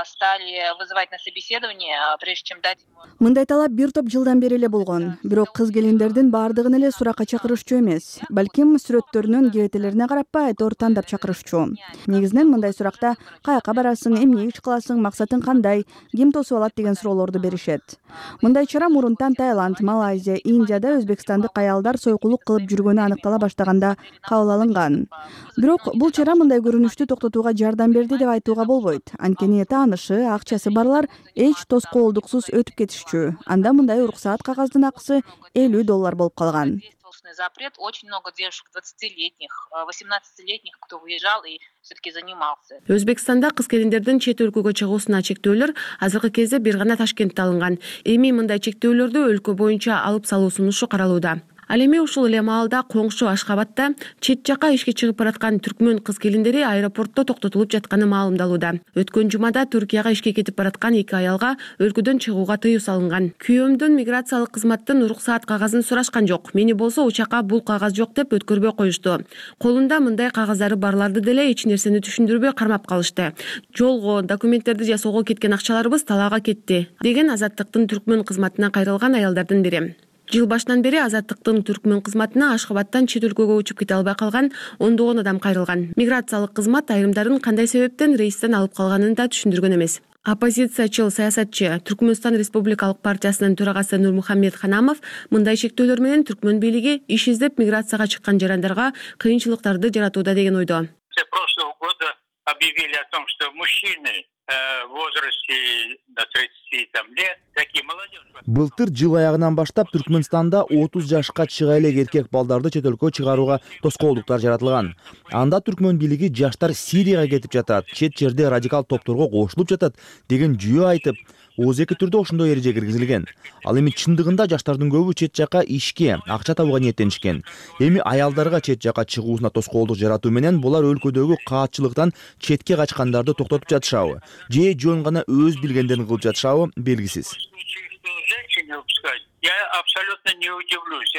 стали вызывать на собеседование, прежде чем дать. Мындай талап бир топ жылдан бери эле болгон. Бирок кыз келиндердин баардыгын эле суракка чакырышчу эмес. Балким сүрөттөрүнүн кебетелерине карап айтор тандап чакырышчу. Негизинен мындай суракта каяка барасың, эмне иш кыласың, максатың кандай, ким тосуп алат деген суроолорду беришет. Мындай чара мурунтан Таиланд, Малайзия, Индияда өзбекстандык аялдар сойкулук кылып жүргөнү аныктала баштаганда кабыл алынган. Бирок бул чара мындай көрүнүштү токтотууга жардам берди деп айтууга болбойт. Анткени таанышы, акчасы барлар эч тоскоолдуксуз өтүп кетишчү. Анда мындай уруксаат кагаздын акысы $50 болуп калган. Запрет. Очень много девушек 20-летних, 18-летних, кто выезжал и все-таки занимался. Өзбекстанда кыз келиндердин чет өлкөгө чыгуусуна чектөөлөр азыркы кезде бир гана Ташкентте алынган. Эми мындай чектөөлөрдү өлкө боюнча алып салуу сунушу каралууда. Ал эми ушул эле маалда коңшу Ашкабадта чет жака ишке чыгып бараткан түркмөн кыз келиндери аэропортто токтотулуп жатканы маалымдалууда. Өткөн жумада Түркияга ишке кетип бараткан 2 аялга өлкөдөн чыгууга тыюу салынган. Күйөөмдөн миграциялык кызматтын уруксаат кагазын сурашкан жок. Мени болсо учакка бул кагаз жок деп өткөрбөй коюшту. Колунда мындай кагаздары барларды деле эч нерсени түшүндүрбөй кармап калышты. Жолго, документтерди жасоого кеткен акчаларыбыз талаага кетти, деген Азаттыктын түркмөн кызматына кайрылган аялдардын бири. Жыл башынан бери Азаттыктын түркмөн кызматына Ашкабадтан чет өлкөгө учуп кете албай калган ондогон адам кайрылган. Миграциялык кызмат айрымдарын кандай себептен рейстен алып калганын да түшүндүргөн эмес. Оппозициячыл саясатчы Түркмөнстан Республикалык партиясынын төрагасы Нурмухаммед Ханамов мындай шектөөлөр менен түркмөн бийлиги иш издеп миграцияга чыккан жарандарга кыйынчылыктарды жаратууда деген ойдо. Прошлого года объявили о том, что мужчины в возрасте до 30 лет, такие молодежь. Былтыр жыл аягынан баштап Түркмөнстанда 30 жашка чыга элек эркек балдарды чет өлкөгө чыгарууга тоскоолдуктар жаратылган. Анда түркмөн бийлиги жаштар Сирияга кетип жатат, чет жерде радикал топторго кошулуп жатат деген жүйө айтып, ОЗК түрдө ошондой эреже киргизилген. Ал эми чындыгында жаштардын көбү чет жака ишке, акча табууга ниеттенишкен. Эми аялдарга чет жака чыгуусуна тоскоолдук жаратуу менен булар өлкөдөгү каатчылыктан четке качкандарды токтотуп жатышабы, же жөн гана өз билгендерин кылып жатышабы белгисиз. Я абсолютно не удивлюсь.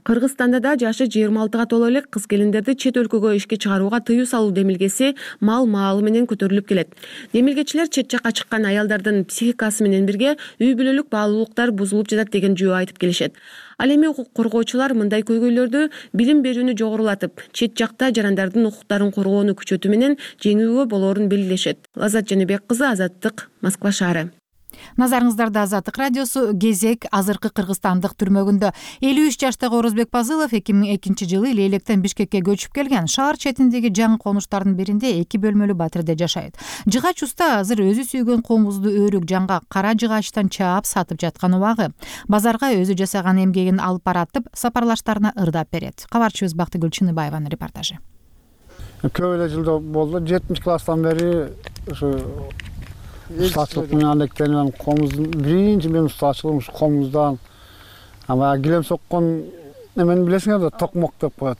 Кыргызстанда да жашы 26-га толо элек кыз келиндерди чет өлкөгө ишке чыгарууга тыюу салуу демилгеси маалы менен көтөрүлүп келет. Демилгечилер чет жака чыккан аялдардын психикасы менен бирге үй бүлөлүк баалуулуктар бузулуп жатат деген жүйө айтып келишет. Ал эми укук коргоочулар мындай көйгөйлөрдү билим берүүнү жогорулатып, чет жакта жарандардын укуктарын коргоону күчөтүү менен жеңүүгө болоорун белгилешет. Лазат Жаныбек кызы, Азаттык, Москва шаары. Назарыңыздарда Азаттык радиосу. Кезек азыркы кыргызстандык түрмөгүндө. 53 жаштагы Орозбек Пазылов 2002-жылы Лейлектен Бишкекке көчүп келген. Шаар четиндеги жаңы конуштардын биринде 2 бөлмөлүү батирде жашайт. Жыгач уста азыр өзү сүйгөн комузду өрүк жаңга кара жыгачтан чаап сатып жаткан убагы. Базарга өзү жасаган эмгегин алып баратып, сапарлаштарына ырдап берет. Кабарчыбыз Бактыгүл Чыныбаеванын репортажы. Көп эле жылда болду. 7 класстан бери ушу ustaçılık менен алектенген комуздун биринчи мен ustaçылыгым ушу комуздан. Ама килем соккон эмени билесиңер да, токмок деп коет.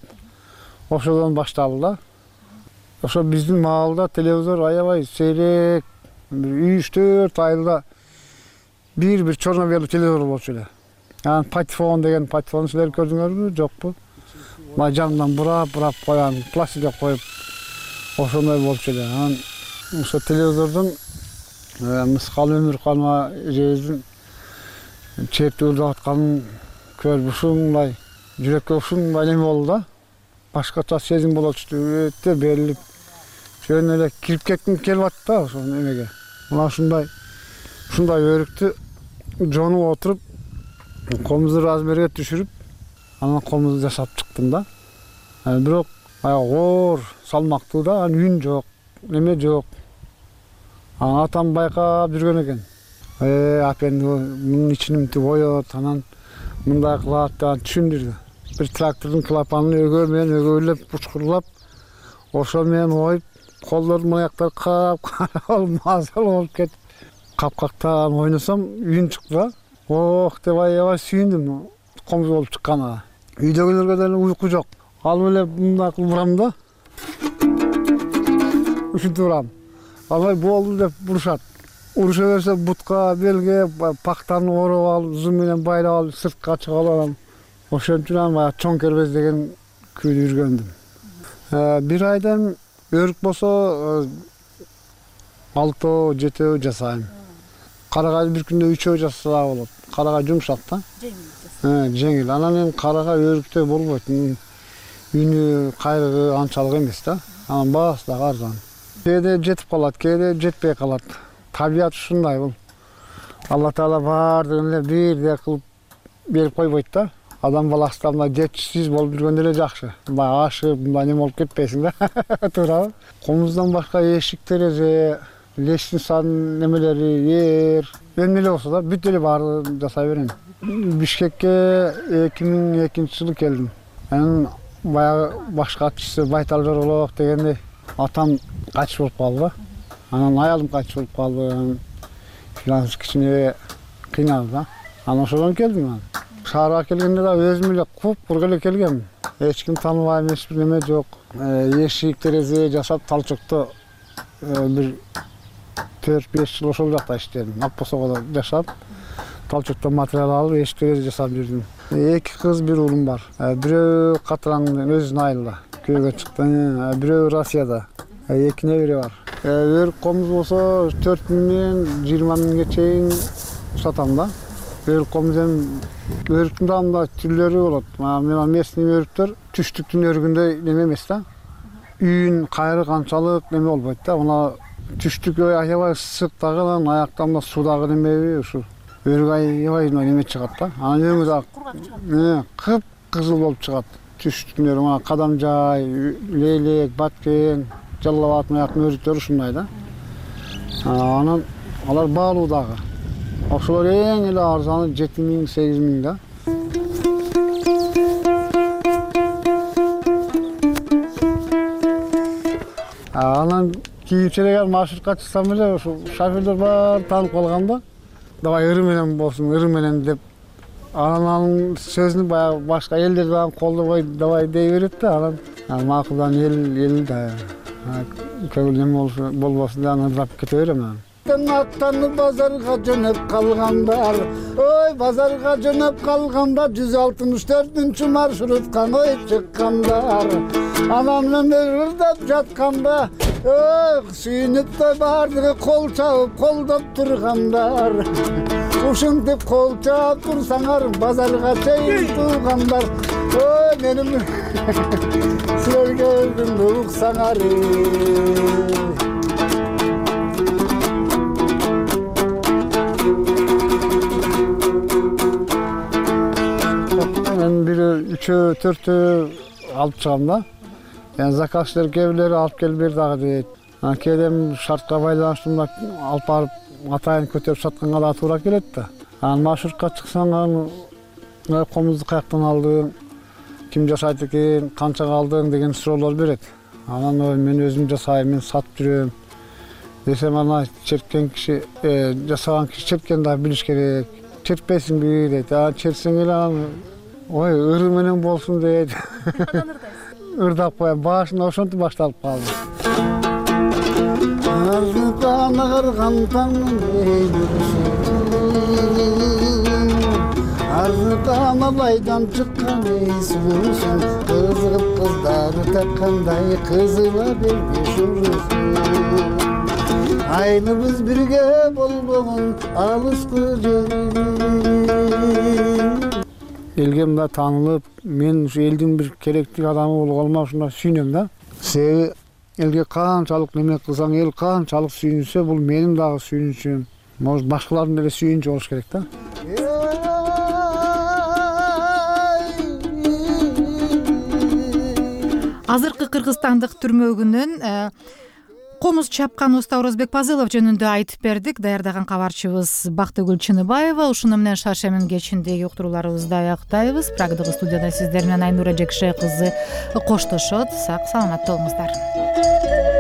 Ошодон башталды да. ошо биздин маалда телевизор аябай сейрек, 3-4 айылда бир черно-белый телевизор болчу эле. Анан патефон деген патефон силер көрдүңөрбү, жокпу? Мына жанынан бурап койган, пластикке коюп ошондой болчу эле. Анан ошо телевизордон Мыскал Өмүрканова эжебиздин чертүүлдүп атканын көрүп ушундай жүрөккө ушундай неме болду да. Башкача сезим болот, өтө берилип, жөн эле кирип кетким келип атты да ошо немеге. Мына ушундай өрүктү жонуп отуруп, комузду размерге түшүрүп, анан комузду жасап чыктым да. Бирок оор, салмактуу да, анан үн жок, неме жок. Атам байкап жүргөн экен. Апен мунун ичин боёт, анан мындай кылат деп түшүндүрдү. Бир трактордун клапанын өгөө менен өгөйлөп, учкурлап, ошо менен оюп, колдордун аяктары кап мазал болуп кетип, капкактан ойносом, үн чыкты да. Ох деп аябай сүйүндүм комуз болуп чыкканына. Үйдөгүлөргө деле уйку жок. Алып эле мындай кылып урам да. Ушинтип урам. Алай болду деп урушат. Уруша берсе бутка, белге, пактаны ороп алып, зу менен байлап алып, сыртка чыгып алам. Ошентип баягы чоң кербез деген күйдү жүргөндүм. Бир айдан өрүк болсо 6-7 жасайм. Карагай бир күндө 3 жасаса болот. Карагай жумшак да. Жеңил. Анан эми карагай өрүктөй болбойт. Үнү, кайрыгы анчалык эмес да. Анан баасы да арзан. Кээде жетип калат, кээде жетпей калат. Табият ушундай бул. Алла Таала баардыгын эле бирдей кылып берип койбойт да. Адам баласы да мындай жетишсиз болуп жүргөндө эле жакшы. Мындай ашып, мындай неме болуп кетпесиң да. Туурабы? Комуздан башка эшик, терезе, лестница немелери, эмне эле болсо да бүт эле баарын жасай берем. Бишкекке 2002-жылы келдим. Анан баягы башкачысы Байтал Жорголов дегенде атам кайтыш болуп калды. Анан аялым кайтыш болуп калды. Финанс кичине кыйналды да. Анан ошодон келдим. Шаарга келгенде да өзүм эле куп-курук эле келгем. Эч ким тааныбайм, эч бир неме жок. Эшик, терезе жасап Талчокто бир 4-5 жыл ошол жакта иштедим. Акбосогодо жашап, Талчокто материал алып, эшик, терезе жасап жүрдүм. 2 кыз, 1 уулум бар. Бирөө Катыраңдын өзүнүн айылда күйөөгө чыкты, бирөө Россияда. 2 небере бар. Өрүк комуз болсо 4 миңден 20 миңге чейин сатам да. Өрүк комуз эми өрүктүн да мындай түрлөрү болот. Мына местный өрүктөр түштүктүн өрүгүндөй неме эмес да. Үн, кайрык анчалык неме болбойт да. Мына түштүк аябай ысык дагы, анан аяктан суудагы немеби ушу өрүк аябай неме чыгат да. Анан өңү да кып-кызыл болуп чыгат. Түштүктүн өрүгү мына Кадамжай, Лейлек, Баткен, Жалал Абад аяктын өрүктөрү ушундай да. Анан алар баалуу дагы. Ошолор эң эле арзаны 7 миң, 8 миң да. Анан кийинчерээк маршрутка чыксам эле ошо шоферлор баары таанып калганда, давай ыры менен болсун, ыры менен деп анан сөзүн баягы башка элдер дагы колдобой давай дей берет да. Анан макулдан эл да көңүл неме болбосун деп анан ырдап кете берем. Аттанып базарга жөнөп калгандар, ой базарга жөнөп калганда 164-үнчү маршрутка ой чыккандар. Анам менен ырдап жатканда, ой сүйүнүп да баардыгы кол чабып колдоп тургандар. Ушинтип кол чаап турсаңар базарга чейин туугандар. Ой менин силерге өзүмдү уксаңар. Мен бир 3-4 алып чыгам да. Заказчылар кээ бирлери алып келип бер дагы дейт. Кээде шартка байланыштуу алып барып атайын көтөрүп сатканга да туура келет да. Анан маршрутка чыксаң, комузду каяктан алдың, ким жасайт экен, канчага алдың деген суроолор берет. Анан мен өзүм жасайм, мен сатып жүрөм десем, ана черткен киши, жасаган киши черткенди да билиш керек. Чертпейсиңби дейт. Чертсең эле анан ой ыры менен болсун дейт. Ырдап коем, башында ошентип башталып калды. арзыкан агарган таңын арзыкан абайдан чыккан эйс болсун кызыгып кыздары таккандай кызыла бербеш урусун айныбыз бирге болбогон алыскы элге мындай таанылып мен ушу элдин бир керектүү адамы болгоныма ушундай сүйүнөм да. Себеби элге канчалык неме кылсаң эл канчалык сүйүнсө бул менин дагы сүйүнүчүм, может башкалардын деле сүйүнүчү болуш керек да. Азыркы кыргызстандык түрмөгүнөн комуз чапкан уста Орозбек Пазылов жөнүндө айтып бердик. Даярдаган кабарчыбыз Бактыгүл Чыныбаева. Ушуну менен Шаршемин кечиндеги уктурууларыбызды аяктайбыз. Прагдагы студияда сиздер менен Айнура Жекше кызы коштошот. Сак саламатта болуңуздар.